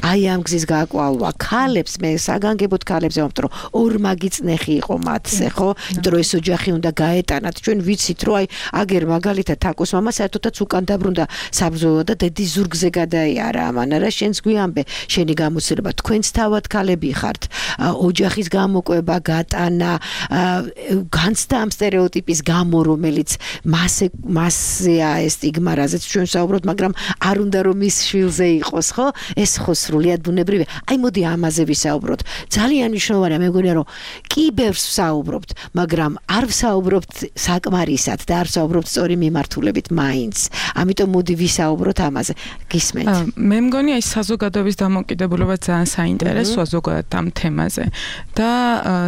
S9: აი ამ გზის გააკვალვა. ქალებს მე საგანგებოდ ქალებს ვამბობ, რომ ორმაგი წნეხი იყო მათზე, ხო? იმიტომ რომ ეს ოჯახი უნდა გაეტანათ. ჩვენ ვიცით, რომ აი აგერ მაგალითად თაკოს მამა საერთოდაც უკან დაბრუნდა საბრძოლო და დედის ზურგზე გადაიარა ამან. რა შენს გვიამბე, შენი გამოცდილება, თქვენც თავად ქალები ხართ. ოჯახის გამოკვება, გატანა, განცდა ამ სტერეოტიპის გამო, რომელიც მასე მასეა ეს სტიგმა, რაზეც ჩვენ საუბრობთ, მაგრამ არ უნდა რომ ის შვილზე იყოს, ხო? ეს ხო სრულიად ბუნებრივია. აი მოდი ამაზე ვისაუბროთ. ძალიან მნიშვნელოვანია, მე მგონია რომ კი ბევრს ვსაუბრობთ, მაგრამ არ ვსაუბრობთ საკმარისად და არ ვსაუბრობთ სწორი მიმართულებით მაინც. ამიტომ მოდი ვისაუბროთ ამაზე. გისმენთ?
S11: მე მგონია ის საზოგადოების დამოკიდებულება ძალიან საინტერესოა ზოგადად ამ თემაზე და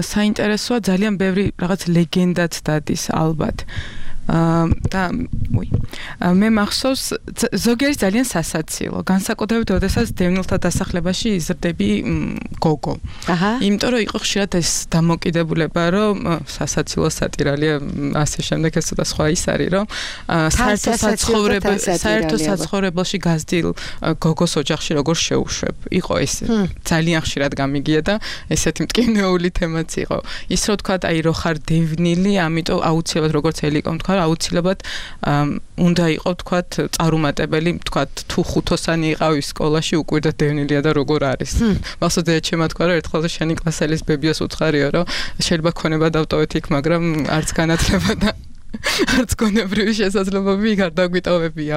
S11: საინტერესოა ძალიან ბევრი რაღაც ლეგენდაც დადის ალბათ. და უი მე მახსოვს ზოგიერთი ძალიან სასაცილო განსაკუთრებით როდესაც დევნილთა დასახლებაში იზრდები გოგო. აჰა. იმიტომ რომ იყო ხშირად ეს დამოკიდებულება, რომ სასაცილო სატირალია ასე შემდეგ ეს ცოტა სხვა ის არის, რომ საერთო საცხოვრებელში საერთო საცხოვრებელში გაზრდილ გოგოს ოჯახში როგორ შეუშვებ. იყო ეს ძალიან ხშირად გამიგია და ესეთი მტკივნეული თემაც იყო. ის რო თქვა, აი რო ხარ დევნილი, ამიტომ აუცილებლად როგორც ელიკომ თქვა აუცილებლად უნდა იყო თქვათ წარუმატებელი თქვათ თუ ხუთოსანი იყავი სკოლაში უკვირდა დევნილია და როგორ არის. მახსოვს ეჩემა თქვა რომ ერთხელ შენი კლასელის ბებიას უცხარიო რომ შეიძლება ქონება დავტოვეთ იქ, მაგრამ არც განათლება და არც გონებრივი შესაძლებლობები იქ არ დაგვიტოვებია.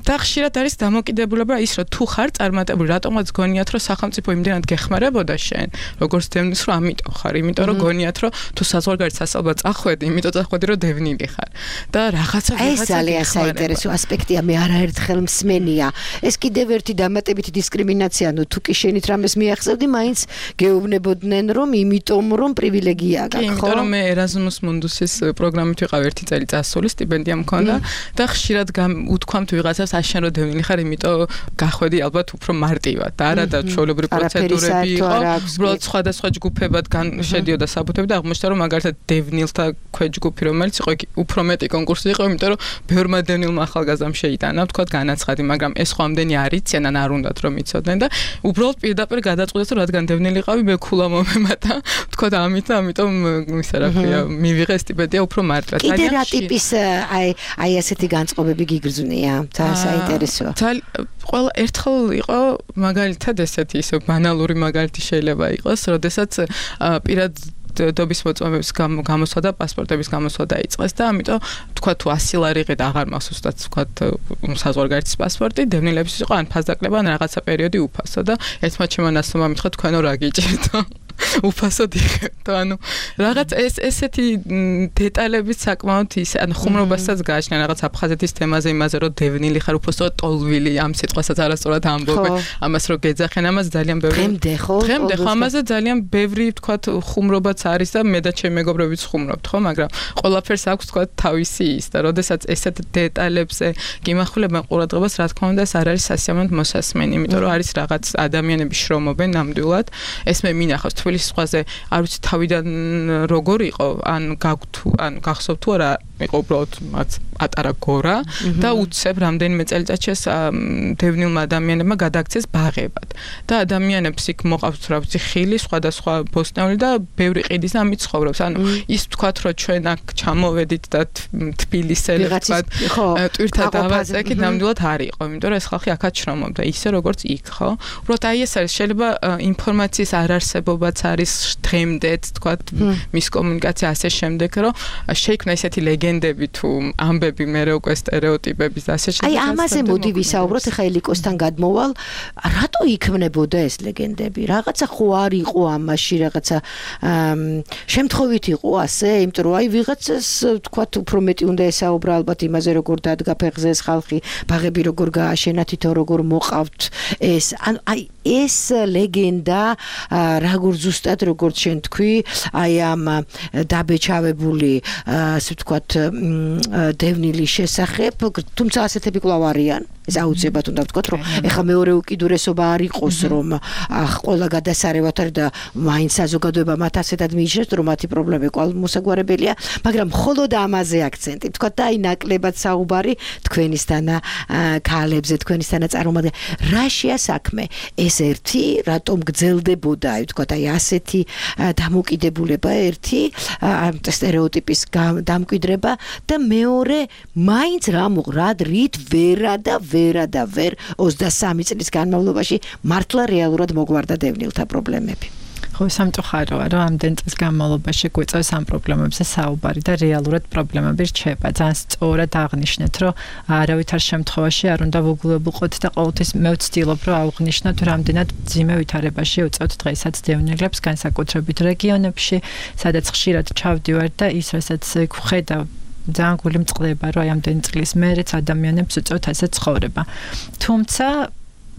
S11: და ხშირად არის დამოკიდებულება ის რომ თუ ხარ წარმატებული, რატომაც გონიათ რომ სახელმწიფო იმდენად გეხმარებოდა შენ, როგორც დევნილს, რომ ამიტომ ხარ, იმიტომ რომ გონიათ რომ თუ საზღვარგარეთ სასწავლებლად წახვედი, იმიტომ წახვედი რომ დევნილი ხარ. და რაღაცა
S9: ეს ძალიან საინტერესო ასპექტია, მე არაერთხელ მსმენია. ეს კიდევ ერთი დამატებითი დისკრიმინაცია, ნუ თუ კი შენით რამეს მიახსევდი, მაინც გეუბნებოდნენ რომ იმიტომ რომ პრივილეგია გაქვს, ხო?
S11: იმიტომ რომ მე ერაზმუს მუნდუსის პროგრამით ვიყავ ერთი წელი წასული, სტიპენდია მქონდა და ხშირად უთქვამთ ვიღაცას აშენ რომ დევნილი ხარ, იმიტომ გახვედი ალბათ უფრო მარტივად და არა და ჩვეულებრივი პროცედურები იყო, უბრალოდ სხვადასხვა ჯგუფებად შედიოდა საბუთები და აღმოჩნდა რომ მაგალითად დევნილთა ქვეჯგუფი რომელიც იყო იქ უფრო მეტი კონკურსი იყო, იმიტომ რომ ბევრმა დევნილმა ახალგაზრდამ შეიტანა, თქვა განაცხადი, მაგრამ ეს ხო ამდენი არ იციან ან არ უნდათ რომ იცოდნენ და უბრალოდ პირდაპირ გადაწყვიტეს რომ რადგან დევნილიყავი, მე ქულა მომემატა, თქვა და ამით და ამიტომ ისა რა ქვია, მივიღე სტიპენდია უფრო მარტივად.
S9: კიდე რა ტიპის აი აი ასეთი განწყობები გიგრძნია? ძალიან საინტერესოა.
S11: ყველა ერთხელ იყო მაგალითად ესეთი ისე ბანალური მაგალითი შეიძლება იყოს, როდესაც პირად დობის მოწმობების გამოსვლა და პასპორტების გამოსვლა დაიწყეს და ამიტომ თქვა თუ ასი ლარი იყიდ აღარ მახსოვს და თქვა საზღვარგარეთის პასპორტი დევნილების იყო ან ფასდაკლება ან რაღაცა პერიოდი უფასო და ერთმა ჩემო ნაცნობამ მითხრა თქვენო რა გიჭირდო. უფასოდ იღებდო. ანუ რაღაც ეს ესეთი დეტალებით საკმაოდ ის ანუ ხუმრობასაც გააჩნია რაღაც აფხაზეთის თემაზე იმაზე რომ დევნილი ხარ უფასოდ ტოლვილი ამ სიტყვასაც არასწორად ამბობენ. ამას რომ გეძახენ ამას ძალიან ბევრი
S9: დღემდე ხო?
S11: დღემდე ხო ამაზე ძალიან ბევრი თქვათ ხუმრობაც არის და მე და ჩემი მეგობრებიც ხუმრობთ ხო, მაგრამ ყველაფერს აქვს თქვათ თავისი ის და როდესაც ესეთ დეტალებზე გიმახვილებენ ყურადღებას, რა თქმა უნდა ეს არ არის სასიამოვნოდ მოსასმენი, იმიტომ რომ არის რაღაც ადამიანები შრომობენ ნამდვილად. ეს მე მინახავს თბილისის ზღვაზე, არ ვიცი თავიდან როგორ იყო, ან გაგვთუ, ან გახსოვთ თუ არა, იყო უბრალოდ მათ პატარა გორა და უცებ რამდენიმე წელიწადში ეს დევნილმა ადამიანებმა გადააქცეს ბაღებად. და ადამიანებს იქ მოყავთ რა ვიცი ხილი, სხვადასხვა ბოსტნეული და ბევრი ყიდის და ამით ცხოვრობს. ანუ ის თქვათ რომ ჩვენ აქ ჩამოვედით და თბილისელი თქვათ ტვირთა დავაწექით, ნამდვილად არ იყო, იმიტომ რომ ეს ხალხი აქაც შრომობდა, ისე როგორც იქ, ხო? უბრალოდ აი ეს არის, შეიძლება ინფორმაციის არარსებობაც არის დღემდეც, თქვათ მის კომუნიკაცია ასე შემდეგ, რომ შეიქმნა ესეთი ლეგენდები თუ ამბები მე რო უკვე სტერეოტიპების და ასე შემდეგ.
S9: აი ამაზე მოდი ვისაუბროთ, ახლა ელიკოსთან გადმოვალ, რატო იქმნებოდა ეს ლეგენდები? რაღაცა ხო არ იყო ამაში, რაღაცა შემთხვევით იყო ასე, იმიტომ რომ აი ვიღაცას თქვათ უფრო მეტი უნდა ესაუბრა ალბათ იმაზე როგორ დადგა ფეხზე ეს ხალხი, ბაღები როგორ გააშენა, თითო როგორ მოყავთ ეს. ანუ აი ეს ლეგენდა როგორ ზუსტად როგორც შენ თქვი, აი ამ დაბეჭავებული ასე ვთქვათ დევნილის შესახებ, თუმცა ასეთები კვლავ არიან. ეს აუცილებლად უნდა ვთქვათ, რომ ეხლა მეორე უკიდურესობა არ იყოს, რომ ყველა გადასარევად არის და მაინც საზოგადოება მათ ასეთად მიიჩნევს, რომ მათი პრობლემები კვლავ მოსაგვარებელია, მაგრამ მხოლოდ ამაზე აქცენტი ვთქვათ და აი ნაკლებად საუბარი თქვენისთან ქალებზე, თქვენისთან წარმომადგენლებზე. რაშია საქმე? ეს ერთი, რატომ გძელდებოდა, აი ვთქვათ, აი ასეთი დამოკიდებულება ერთი, სტერეოტიპის დამკვიდრება და მეორე, მაინც რა რა რით ვერა და ვერა და ვერ ოცდასამი წლის განმავლობაში მართლა რეალურად მოგვარდა დევნილთა პრობლემები.
S10: ხო, სამწუხაროა, რომ ამდენ წლის განმავლობაში გვიწევს ამ პრობლემებზე საუბარი და რეალურად პრობლემები რჩება. ძალიან სწორად აღნიშნეთ, რომ არავითარ შემთხვევაში არ უნდა ვუგულებულყოთ და ყოველთვის მე ვცდილობ, რომ აღვნიშნოთ, რამდენად მძიმე ვითარებაში უწევთ დღესაც დევნილებს, განსაკუთრებით რეგიონებში, სადაც ხშირად ჩავდივარ და ის, რასაც ვხედავ ძალიან გული მწყდება, რომ აი ამდენი წლის მერეც ადამიანებს უწევთ ასე ცხოვრება. თუმცა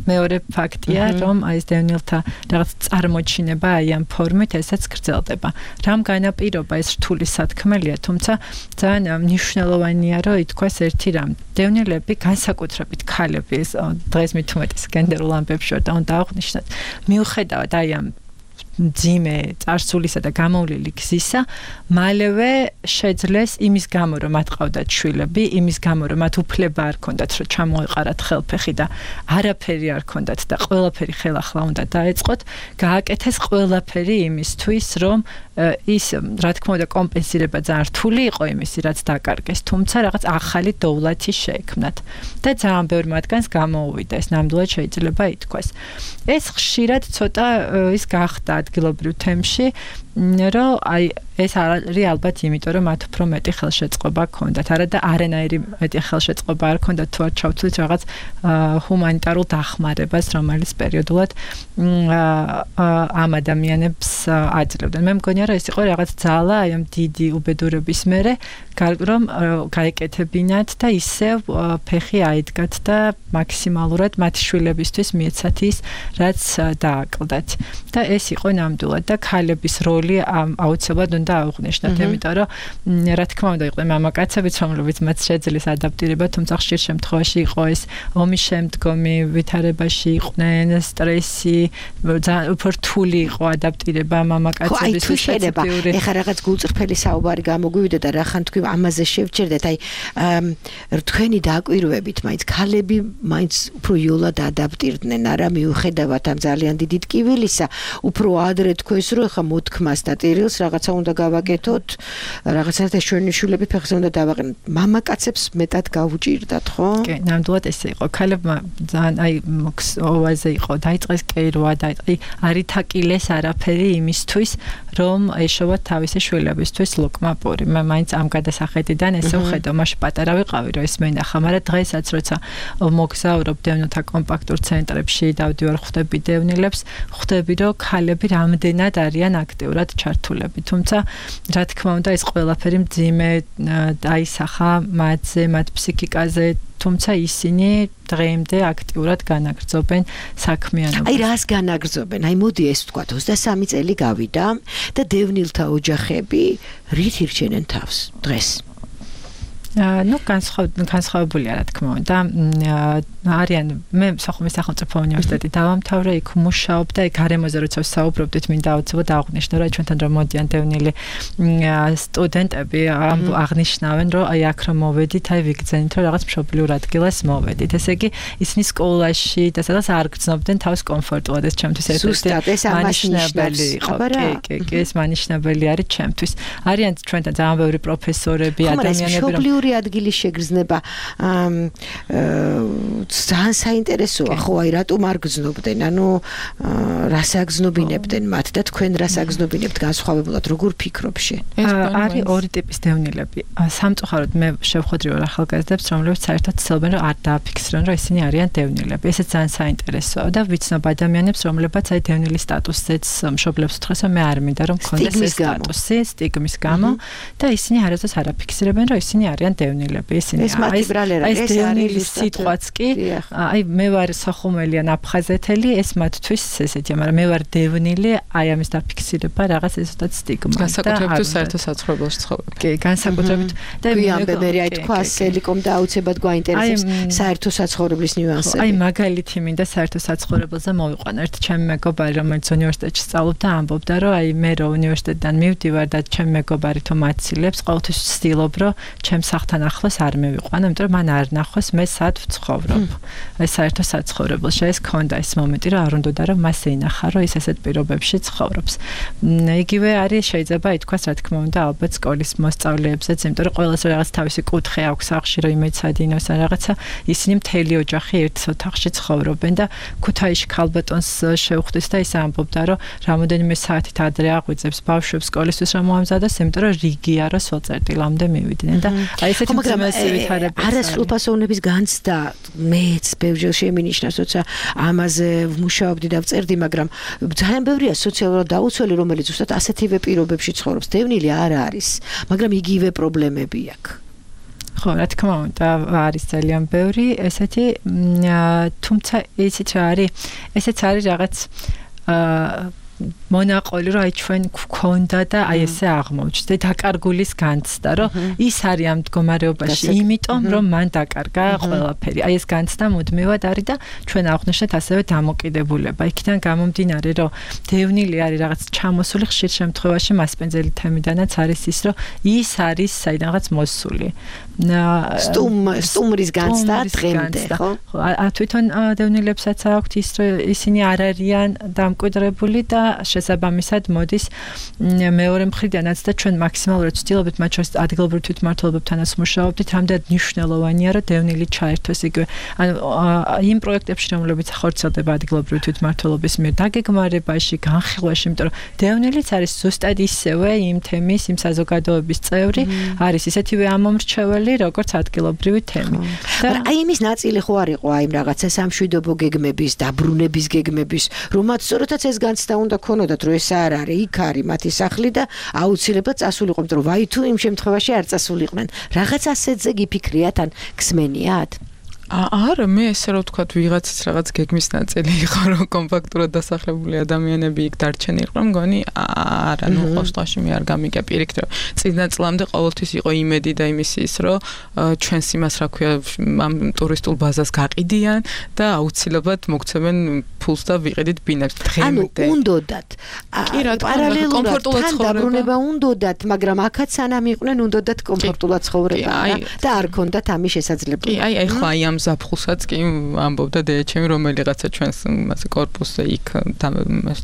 S10: მეორე ფაქტია, რომ აი ეს დევნილთა რაღაც წარმოჩინება აი ამ ფორმით ესაც გრძელდება. რამ განაპირობა ეს რთული სათქმელია, თუმცა ძალიან მნიშვნელოვანია, რომ ითქვას ერთი რამ. დევნილები, განსაკუთრებით ქალები, ეს დღეს მით უმეტეს გენდერულ ამბებს შორდა უნდა აღვნიშნოთ, მიუხედავად აი ამ მძიმე წარსულისა და გამოვლილი გზისა, მალევე შეძლეს იმის გამო, რომ მათ ყავდათ შვილები, იმის გამო, რომ მათ უფლება არ ქონდათ, რომ ჩამოეყარათ ხელფეხი და არაფერი არ ქონდათ და ყველაფერი ხელახლა უნდა დაეწყოთ, გააკეთეს ყველაფერი იმისთვის, რომ ის, რა თქმა უნდა, კომპენსირება ძალიან რთული იყო იმისი, რაც დაკარგეს, თუმცა რაღაც ახალი დოვლათი შეექმნათ და ძალიან ბევრ მათგანს გამოუვიდა, ეს ნამდვილად შეიძლება ითქვას. ეს ხშირად ცოტა ის გახდა ადგილობრივ თემში, რომ აი ეს არის ალბათ იმიტომ, რომ მათ უფრო მეტი ხელშეწყობა ჰქონდათ, არა და არანაირი მეტი ხელშეწყობა არ ჰქონდათ, თუ არ ჩავთვლით რაღაც ჰუმანიტარულ დახმარებას, რომელიც პერიოდულად ამ ადამიანებს აძლევდნენ. მე მგონია, რომ ეს იყო რაღაც ძალა აი ამ დიდი უბედურების მერე, რომ გაეკეთებინათ და ისევ ფეხი აიდგათ და მაქსიმალურად მათ შვილებისთვის მიეცათ ის, რაც დააკლდათ. და ეს იყო ნამდვილად და ქალების როლი აუცილებლად უნდა აღვნიშნოთ, იმიტომ რომ რა თქმა უნდა იყვნენ მამაკაცებიც, რომლებიც მათ შეძლეს ადაპტირება, თუმცა ხშირ შემთხვევაში იყო ეს ომის შემდგომი ვითარებაში იყვნენ, სტრესი, ძალიან უფრო რთული იყო ადაპტირება მამაკაცების
S9: სპეციფიური. ეხლა რაღაც გულწრფელი საუბარი გამოგვივიდა და რახან თქვი ამაზე შევჭერდეთ, აი თქვენი დაკვირვებით, მაინც ქალები მაინც უფრო იოლად ადაპტირდნენ, არა მიუხედავად ამ ძალიან დიდი ტკივილისა, უფრო ადრე თქვენს რომ ეხლა მოთქმა მას და ტირილს რაღაცა უნდა გავაკეთოთ, რაღაცა ეს ჩვენი შულები ფეხზე უნდა დავაყენოთ. მამაკაცებს მეტად გაუჭირდათ, ხო?
S10: კი, ნამდვილად ესე იყო. ქალებმა ძალიან აი ოაზე იყო, დაიწყეს კეირვა, დაიწყი არითაკილეს არაფერი იმისთვის, რომ ეშოვათ თავისი შვილებისთვის ლოკმაპური. მე მაინც ამ გადასახედიდან ესე ვხედავ, მაშინ პატარა ვიყავი, რომ ეს მენახა, მაგრამ დღესაც როცა მოგზაურობ დევნილთა კომპაქტურ ცენტრებში, დავდივარ ხვდები დევნილებს, ხვდები რომ ქალები რამდენად არიან აქტიურად ჩართულები. თუმცა რა თქმა უნდა ეს ყველაფერი მძიმე დაისახა მათზე, მათ ფსიქიკაზე, თუმცა ისინი დღემდე აქტიურად განაგრძობენ საქმიანობას.
S9: აი რას განაგრძობენ? აი მოდი ეს ვთქვათ, ოცდასამი წელი გავიდა და დევნილთა ოჯახები რით ირჩენენ თავს დღეს?
S10: ну განსხვავებულია რა თქმა უნდა არიან მე სოხუმის სახელმწიფო უნივერსიტეტი დავამთავრე იქ მუშაობდა იქ გარემოზე როცა ვსაუბრობდით მინდა აუცილებლად აღვნიშნო რომ ჩვენთან რომ მოდიან დევნილი სტუდენტები აღნიშნავენ რომ აი აქ რომ მოვედით აი ვიგრძენით რომ რაღაც მშობლიურ ადგილას მოვედით ესე იგი ისინი სკოლაში და სადაც არ გრძნობდნენ თავს კომფორტულად ეს ჩემთვის
S9: ერთ-ერთი
S10: მანიშნებელი იყო კი კი ეს მანიშნებელი არის ჩემთვის არიან ჩვენთან ძალიან ბევრი პროფესორები ადამიანები რომ
S9: ადგილის შეგრძნება ძალიან საინტერესოა ხო აი რატომ არ გრძნობდნენ ანუ რას აგზნობინებდნენ მათ და თქვენ რას აგზნობინებთ განსხვავებულად როგორ ფიქრობ შენ
S10: არის ორი ტიპის დევნილები სამწუხაროდ მე შევხვედრი ორ ახალგაზრდებს რომლებიც საერთოდ ცდილობენ რომ არ დააფიქსირონ რომ ისინი არიან დევნილები ესეც ძალიან საინტერესოა და ვიცნობ ადამიანებს რომლებიც აი დევნილის სტატუსზეც მშობლებს უთხრეს რომ მე არ მინდა რომ მქონდეს ეს სტატუსი სტიგმის გამო და ისინი არასდროს არ აფიქსირებენ რომ ისინი არიან დევნილები ისინი
S9: ეს
S10: ეს დევნილის სიტყვაც კი აი მე ვარ სოხუმელი ან აფხაზეთელი ეს მათთვის ესეთია მაგრამ მე ვარ დევნილი აი ამის დაფიქსირება რაღაც ესეთაც სტიგმა
S11: განსაკუთრებით საერთო საცხოვრებელში ცხოვრობ
S10: კი განსაკუთრებით
S9: და ვიამბე მე აი თქვა სელიკომ და აუცილებლად გვაინტერესებს საერთო საცხოვრებლის ნიუანსები
S10: აი მაგალითი მინდა საერთო საცხოვრებელზე მოვიყვანო ერთ ჩემი მეგობარი რომელიც უნივერსიტეტში სწავლობდა ამბობდა რომ აი მე რო უნივერსიტეტიდან მივდივარ და ჩემი მეგობარი თუ მაცილებს ყოველთვის ვცდილობ რომ ჩემს სახლთან ახლოს არ მევიყვანო იმიტომ რომ მან არ ნახოს მე სად ვცხოვრობ აი საერთო საცხოვრებელში ეს ქონდა ეს მომენტი რომ არ უნდა რომ მას ეინახა რომ ის ესეთ პირობებში ცხოვრობს იგივე არის შეიძლება ითქვას რა თქმა უნდა ალბათ სკოლის მოსწავლეებზეც იმიტომ რომ ყველას რაღაც თავისი კუთხე აქვს სახლში რომ იმეცადინოს ან რაღაცა ისინი მთელი ოჯახი ერთ ოთახში ცხოვრობენ და ქუთაისში ქალბატონს შევხვდით და ის ამბობდა რომ რამოდენიმე საათით ადრე აღვიძებს ბავშვებს სკოლისთვის რომ მოამზადოს იმიტომ რომ რიგია რომ სოწერტილამდე მივიდნენ და აი ესეთი
S9: არასრულფასოვნების განცდა მეც ბევრჯერ შემინიშნას როცა ამაზე ვმუშაობდი და ვწერდი მაგრამ ძალიან ბევრია სოციალურად დაუცველი რომელიც უბრალოდ ასეთივე პირობებში ცხოვრობს დევნილი არ არის მაგრამ იგივე პრობლემები აქვს
S10: ხო რა თქმა უნდა არის ძალიან ბევრი ესეთი თუმცა ისიც არის ესეც არის რაღაც მონაყოლი რომ აი ჩვენ გვქონდა და აი ესე აღმოჩნდა დაკარგულის განცდა რომ ის არის ამ მდგომარეობაში იმიტომ რომ მან დაკარგა ყველაფერი აი ეს განცდა მუდმივად არის და ჩვენ აღვნიშნეთ ასევე დამოკიდებულება იქიდან გამომდინარე რომ დევნილი არის რაღაც ჩამოსული ხშირ შემთხვევაში მასპინძელი თემიდანაც არის ის რომ ის არის საიდანღაც მოსული
S9: სტუმ სტუმრის განცდა დღემდე ხო
S10: თვითონ დევნილებსაც აქვთ ის რომ ისინი არ არიან დამკვიდრებული და შესაბამისად მოდის მეორე მხრიდანაც და ჩვენ მაქსიმალურად ვცდილობთ მათ შორის ადგილობრივ თვითმმართველობებთანაც მუშაობდით რამდენად მნიშვნელოვანია რომ დევნილი ჩაერთოს იგივე ანუ იმ პროექტებში რომლებიც ხორციელდება ადგილობრივ თვითმმართველობის მიერ დაგეგმარებაში განხილვაში იმიტომ რომ დევნილიც არის ზუსტად ისევე იმ თემის იმ საზოგადოების წევრი არის ისეთივე ამომრჩეველი როგორც ადგილობრივი თემი
S9: და აი იმის ნაწილი ხო არ იყო აი რაღაცა სამშვიდობო გეგმების დაბრუნების გეგმების რომაც სწორედაც ეს განცდა უნდა ქონოდათ რომ ეს არ არის იქ არის მათი სახლი და აუცილებლად წასულიყო იმიტომ რომ ვაი თუ იმ შემთხვევაში არ წასულიყვნენ რაღაც ასეთზე გიფიქრიათ ან გსმენიათ
S11: არა მე ესე რომ ვთქვათ ვიღაცის რაღაც გეგმის ნაწილი იყო რომ კომპაქტურად დასახლებული ადამიანები იქ დარჩენილიყო მგონი არა ნუ ყოველში მე არ გამიგე პირიქით რომ წინა წლამდე ყოველთვის იყო იმედი და იმის ის რომ ჩვენს იმას რა ქვია ამ ტურისტულ ბაზას გაყიდიან და აუცილებლად მოგცემენ ფულს და ვიყიდით ბინებს
S9: ანუ
S11: დღემდე.
S9: უნდოდათ.
S11: კი რა თქმა უნდა,
S9: პარალელურად
S11: კომფორტულად
S9: თან
S11: ცხოვრება.
S9: დაბრუნება უნდოდათ, მაგრამ აქაც სანამ იყვნენ უნდოდათ კომფორტულად ცხოვრება
S11: აი,
S9: და არ ქონდათ ამის შესაძლებლობა.
S11: კი, აი, ახლა აი ამ ზაფხულსაც კი ამბობდა დედაჩემი რომელიღაცა ჩვენს მასე კორპუსზე იქ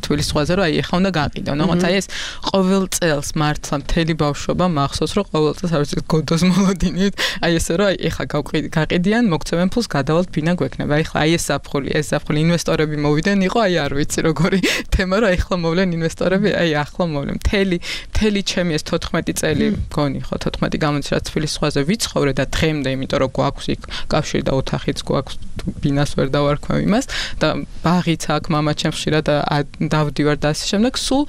S11: თბილის ზღვაზე რომ აი ახლა უნდა გაყიდო. ნახოთ აი ეს ყოველ წელს მართლა მთელი ბავშვობა მახსოვს რომ ყოველ წელს არ ვიცი გოდოს მოლოდინით აი ესე რომ აი ახლა გაყიდიან მოგცემენ ფულს გადავალთ ბინა გვექნება. აი ახლა აი ეს ზაფხული ეს ზაფხული ინვესტორები მოვიდნენ იყო აი არ ვიცი როგორი თემა რომ ახლა მოვლენ ინვესტორები აი ახლა მოვლენ. მთელი მთელი ჩემი ეს თოთხმეტი წელი მგონი ხო თოთხმეტი გამოდის რა თბილის ზღვაზე ვიცხოვრე და დღემდე იმიტომ რომ გვაქვს იქ კავშირი და ოთახიც გვაქვს ბინას ვერ დავარქვევ იმას და ბაღიც აქ მამაჩემ ხშირად დავდივარ და ასე შემდეგ სულ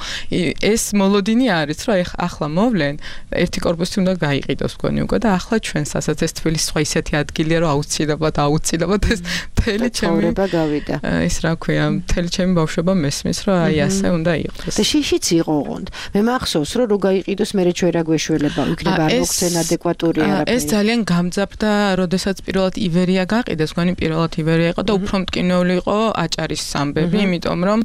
S11: ეს მოლოდინი არის რომ აი ახლა მოვლენ ერთი კორპუსი უნდა გაიყიდოს მგონი უკვე და ახლა ჩვენს ასაც ეს თბილის ზღვა ისეთი ადგილია რომ აუცილებლად აუცილებლად ეს მთელი ჩემი
S9: ცხოვრება გავიდა.
S11: ის რა ქვია მთელი ჩემი ბავშვობა მესმის რომ აი ასე უნდა იყოს.
S9: და შიშიც იყო ოღონდ. მე მახსოვს რომ რო გაიყიდოს მე ჩვენ რა გვეშველება იქნება არ მოგცენ ადეკვატური არაფერი.
S11: ეს ძალიან გამძაფრდა, როდესაც პირველად ივერია გაყიდეს, მგონი პირველად ივერია იყო და უფრო მტკივნეული იყო აჭარის ამბები, იმიტომ რომ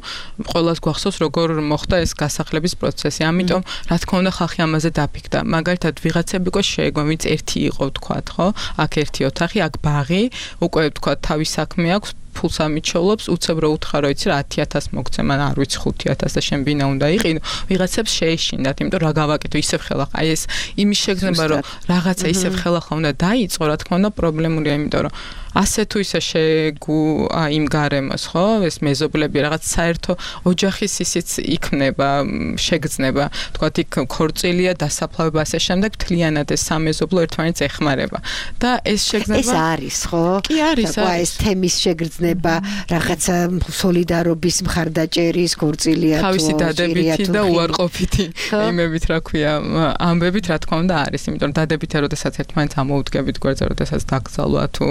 S11: ყველას გვახსოვს როგორ მოხდა ეს გასახლების პროცესი. ამიტომ რა თქმა უნდა ხალხი ამაზე დაფიქრდა. მაგალითად ვიღაცები უკვე შეეგო, ვინც ერთი იყო ვთქვათ, ხო? აქ ერთი ოთახი, აქ ბაღი, უკვე ვთქვათ თავის საქმე აქვს ფულს ამიჩევლობს, უცებ რო უთხრა რომ იცი რა ათი ათასი მოგცემ, ან არ ვიცი ხუთი ათასი და შენ ბინა უნდა იყიდო. ვიღაცებს შეეშინდათ, იმიტომ რა გავაკეთო, ისევ ხელახლა. აი ეს იმის შეგრძნება რომ რაღაცა ისევ ხელახლა უნდა დაიწყო, რა თქმა უნდა პრობლემურია, იმიტომ რომ ასე თუ ისე შეგუ იმ გარემოს, ხო? ეს მეზობლები რაღაც საერთო ოჯახის ისიც იქნება, შეგრძნება. თქვათ იქ ქორწილია, დასაფლავება ასე შემდეგ, თლიანად ეს სამეზობლო ერთმანეთს ეხმარება. და ეს შეგრძნება
S9: ეს არის, ხო?
S11: კი არის, არის.
S9: ეს თემის შეგრძნება, რაღაცა სოლიდარობის მხარდაჭერის ქორწილია თუ
S11: თავისი დადებითი და უარყოფითი იმებით, რა ქვია, ამბებით, რა თქმა უნდა არის, იმიტომ რომ დადებითი როდესაც ერთმანეთს ამოუდგებით გვერდზე, როდესაც დაკრძალვა თუ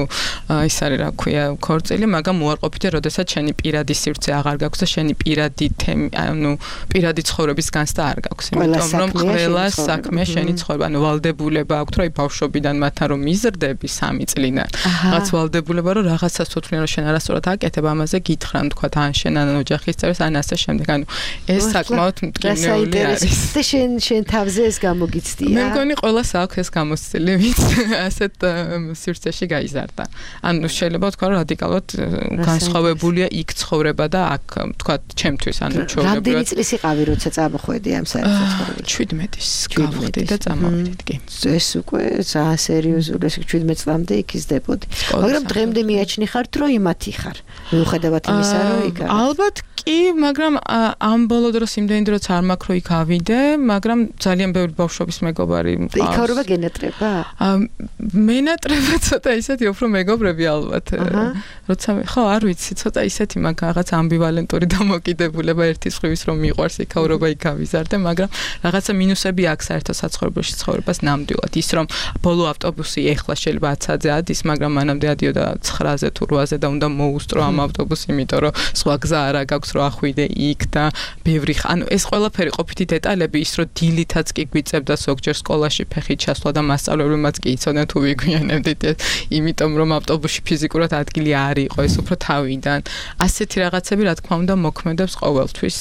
S11: ის არის რა ქვია ქორწილი, მაგრამ უარყოფითი როდესაც შენი პირადი სივრცე აღარ გაქვს და შენი პირადი თემი, ანუ პირადი ცხოვრების განცდა არ გაქვს, იმიტომ რომ ყველა საქმე შენი ცხოვრება, ანუ ვალდებულება აქვს, რომ აი ბავშვობიდან მათთან რომ მიზრდები სამი წლიდან, რაღაც ვალდებულება რომ რაღაცას თვითონ რომ შენ არასწორად აკეთებ, ამაზე გითხრან, თქვა ან შენ ან ოჯახის წევრს, ან ასე შემდეგ, ანუ ეს საკმაოდ მტკივნეული არის.
S9: და შენ შენ თავზე ეს გამოგიცდია?
S11: მე მგონი ყველას აქვს ეს გამოცდილი, ვინც ასეთ სივრცეში გაიზარდა. ანუ შეიძლება თქვა რომ რადიკალურად განსხვავებულია იქ ცხოვრება და აქ თქვა ჩემთვის ანუ ჩვეულებრივად.
S9: რამდენი წლის იყავი როცა წამოხვედი ამ საერთაშორისო
S11: შვიდმეტის გავხდი და წამოვიდით კი.
S9: ეს უკვე ძალიან სერიოზული ეს შვიდმეტ წლამდე იქ იზრდებოდი. მაგრამ დღემდე მიაჩნი ხარ რომ იმათი ხარ. მიუხედავად იმისა რომ იქ არის.
S11: ალბათ კი, მაგრამ ამ ბოლო დროს იმდენი დროც არ მაქვს რომ იქ ავიდე, მაგრამ ძალიან ბევრი ბავშვობის მეგობარი მყავს.
S9: იქავრობა გენატრება?
S11: მენატრება ცოტა ისეთი უფრო მეგობრები ალბათ. როცა ხო, არ ვიცი, ცოტა ისეთი მაგ რაღაც ამბივალენტური დამოკიდებულება ერთის ხრივის რომ მიყვარს იქავრობა იქ ავიზარდე, მაგრამ რაღაცა მინუსები აქვს საერთო საცხოვრებელში ცხოვრებას ნამდვილად. ის რომ ბოლო ავტობუსი ეხლა შეიძლება ათსაათზე ადის, მაგრამ მანამდე ადიოდა ცხრაზე თუ რვაზე და უნდა მოუსწრო ამ ავტობუსს, იმიტომ რომ სხვა გზა არ აქვს რომ ახვიდე იქ და ბევრი ანუ ეს ყველაფერი ყოფითი დეტალები ის რომ დილითაც კი გვიწევდა ზოგჯერ სკოლაში ფეხით ჩასვლა და მასწავლებლებმაც კი იცოდნენ თუ ვიგვიანებდით ეს იმიტომ რომ ავტობუსში ფიზიკურად ადგილი არ იყო ეს უფრო თავიდან ასეთი რაღაცები რა თქმა უნდა მოქმედებს ყოველთვის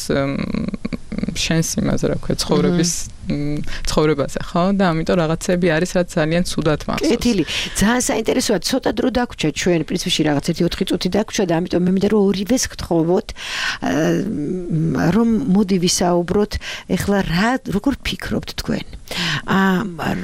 S11: შენს იმაზე რა ქვია ცხოვრების ცხოვრებაზე ხო და ამიტომ რაღაცები არის რაც ძალიან ცუდად მახსოვს.
S9: კეთილი. ძალიან საინტერესოა, ცოტა დრო დაგვრჩა ჩვენ პრინციპში რაღაც ერთი ოთხი წუთი დაგვრჩა და ამიტომ მე მინდა რომ ორივეს გთხოვოთ რომ მოდი ვისაუბროთ ეხლა რა როგორ ფიქრობთ თქვენ? აა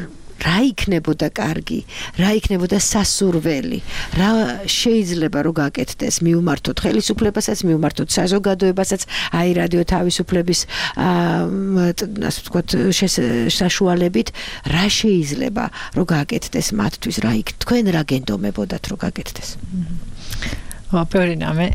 S9: რა იქნებოდა კარგი, რა იქნებოდა სასურველი, რა შეიძლება რომ გაკეთდეს მიუმართოთ ხელისუფლებასაც, მიუმართოთ საზოგადოებასაც, აი რადიო თავისუფლების ასე ვთქვათ საშუალებით, რა შეიძლება რომ გაკეთდეს მათთვის, რა იქ თქვენ რა გენდომებოდათ რომ გაკეთდეს?
S10: ოპერინამე,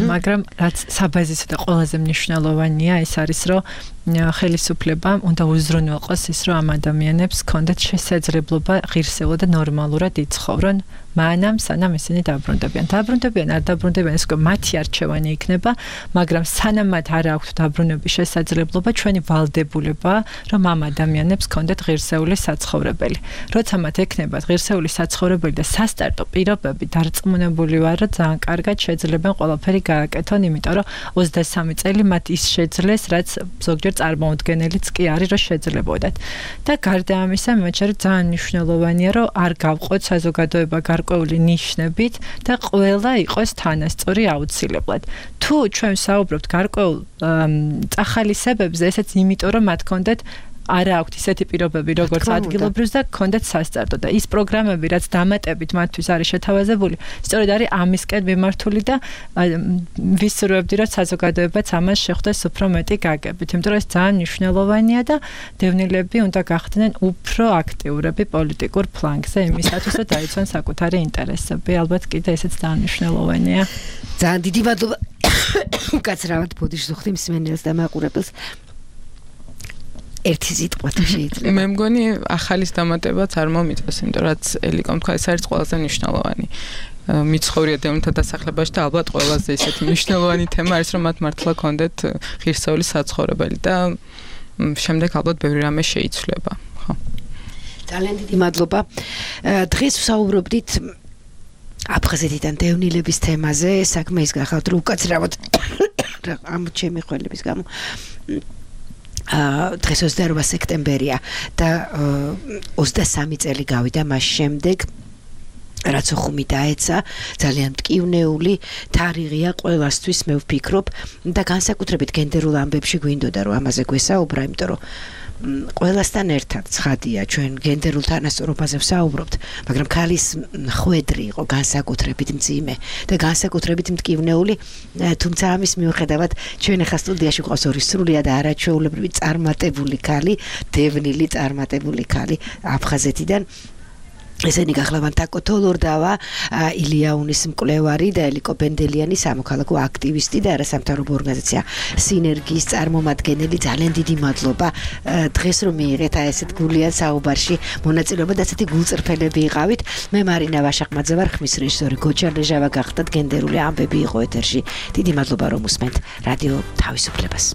S10: მაგრამ რაც საბაზისო და ყველაზე მნიშვნელოვანია, ის არის რომ ხელისუფლებამ უნდა უზრუნველყოს ის, რომ ამ ადამიანებს ჰქონდეთ შესაძლებლობა ღირსეულად და ნორმალურად იცხოვრონ, მანამ სანამ ისინი დაბრუნდებიან. დაბრუნდებიან, არ დაბრუნდებიან, ეს მათი არჩევანი იქნება, მაგრამ სანამ მათ არ აქვთ დაბრუნების შესაძლებლობა, ჩვენი ვალდებულებაა, რომ ამ ადამიანებს ჰქონდეთ ღირსეული საცხოვრებელი. როცა მათ ექნებათ ღირსეული საცხოვრებელი და სასტარტო პირობები, დარწმუნებული ვარ, რომ ძალიან კარგად შეძლებენ ყველაფერი გააკეთონ, იმიტომ რომ ოცდასამი წელი მათ ის შეძლეს, რაც ზოგჯერ წარმოუდგენელიც კი არის, რომ შეძლებოდათ. და გარდა ამისა, მე მგონი ძალიან მნიშვნელოვანია, რომ არ გავყოთ საზოგადოება გარკვეული ნიშნებით და ყველა იყოს თანასწორი აუცილებლად. თუ ჩვენ საუბრობთ გარკვეულ წახალისებებზე, ესეც იმიტომ, რომ მათ ჰქონდეთ არა აქვთ ისეთი პირობები, როგორც ადგილობრივს და ჰქონდეთ სასტარტო და ის პროგრამები, რაც დამატებით მათთვის არის შეთავაზებული, სწორედ არის ამისკენ მიმართული და ვისურვებდი, რომ საზოგადოებაც ამას შეხვდეს უფრო მეტი გაგებით, იმიტომ რომ ეს ძალიან მნიშვნელოვანია და დევნილები უნდა გახდნენ უფრო აქტიურები პოლიტიკურ ფლანგზე იმისათვის, რომ დაიცვან საკუთარი ინტერესები. ალბათ კიდე ესეც ძალიან მნიშვნელოვანია.
S9: ძალიან დიდი მადლობა. უკაცრავად ბოდიშს ვხდი მსმენელს და მაყურებელს. ერთი სიტყვით შეიძლება.
S11: მე მგონი ახალის დამატებაც არ მომიწევს, იმიტომ რაც ელიკომ თქვა, ეს არის ყველაზე მნიშვნელოვანი. მიცხოვრია დევნილთა დასახლებაში და ალბათ ყველაზე ისეთი მნიშვნელოვანი თემა არის, რომ მათ მართლა ქონდეთ ღირსეული საცხოვრებელი და შემდეგ ალბათ ბევრი რამე შეიცვლება. ხო.
S9: ძალიან დიდი მადლობა. დღეს ვსაუბრობდით აფხაზეთიდან დევნილების თემაზე, საქმე ის გახავთ, რომ უკაცრავად ამ ჩემი ხელების გამო დღეს ოცდაორ სექტემბერია და ოცდასამი წელი გავიდა მას შემდეგ რაც ხუმი დაეცა ძალიან მტკივნეული თარიღია ყველასთვის მე ვფიქრობ და განსაკუთრებით გენდერულ ამბებში გვინდოდა რომ ამაზე გვესაუბრა იმიტომ რომ ყველასთან ერთად ცხადია ჩვენ გენდერულ თანასწორობაზე ვსაუბრობთ მაგრამ ქალის ხვედრი იყო განსაკუთრებით მძიმე და განსაკუთრებით მტკივნეული თუმცა ამის მიუხედავად ჩვენ ახლა სტუდიაში გვყავს ორი სრულიად არაჩვეულებრივი წარმატებული ქალი დევნილი წარმატებული ქალი აფხაზეთიდან ესენი გახლავან თაკო თოლორდავა ილიაუნის მკვლევარი და ელიკო ბენდელიანი სამოქალაქო აქტივისტი და არასამთავრობო ორგანიზაცია სინერგიის წარმომადგენელი ძალიან დიდი მადლობა დღეს რომ მიიღეთ აი ესეთ გულიან საუბარში მონაწილეობა და ასეთი გულწრფელები იყავით მე მარინა ვაშაყმაძე ვარ ხმის რეჟისორი გოჩა ლეჟავა გახდათ გენდერული ამბები იყო ეთერში დიდი მადლობა რომ უსმენთ რადიო თავისუფლებას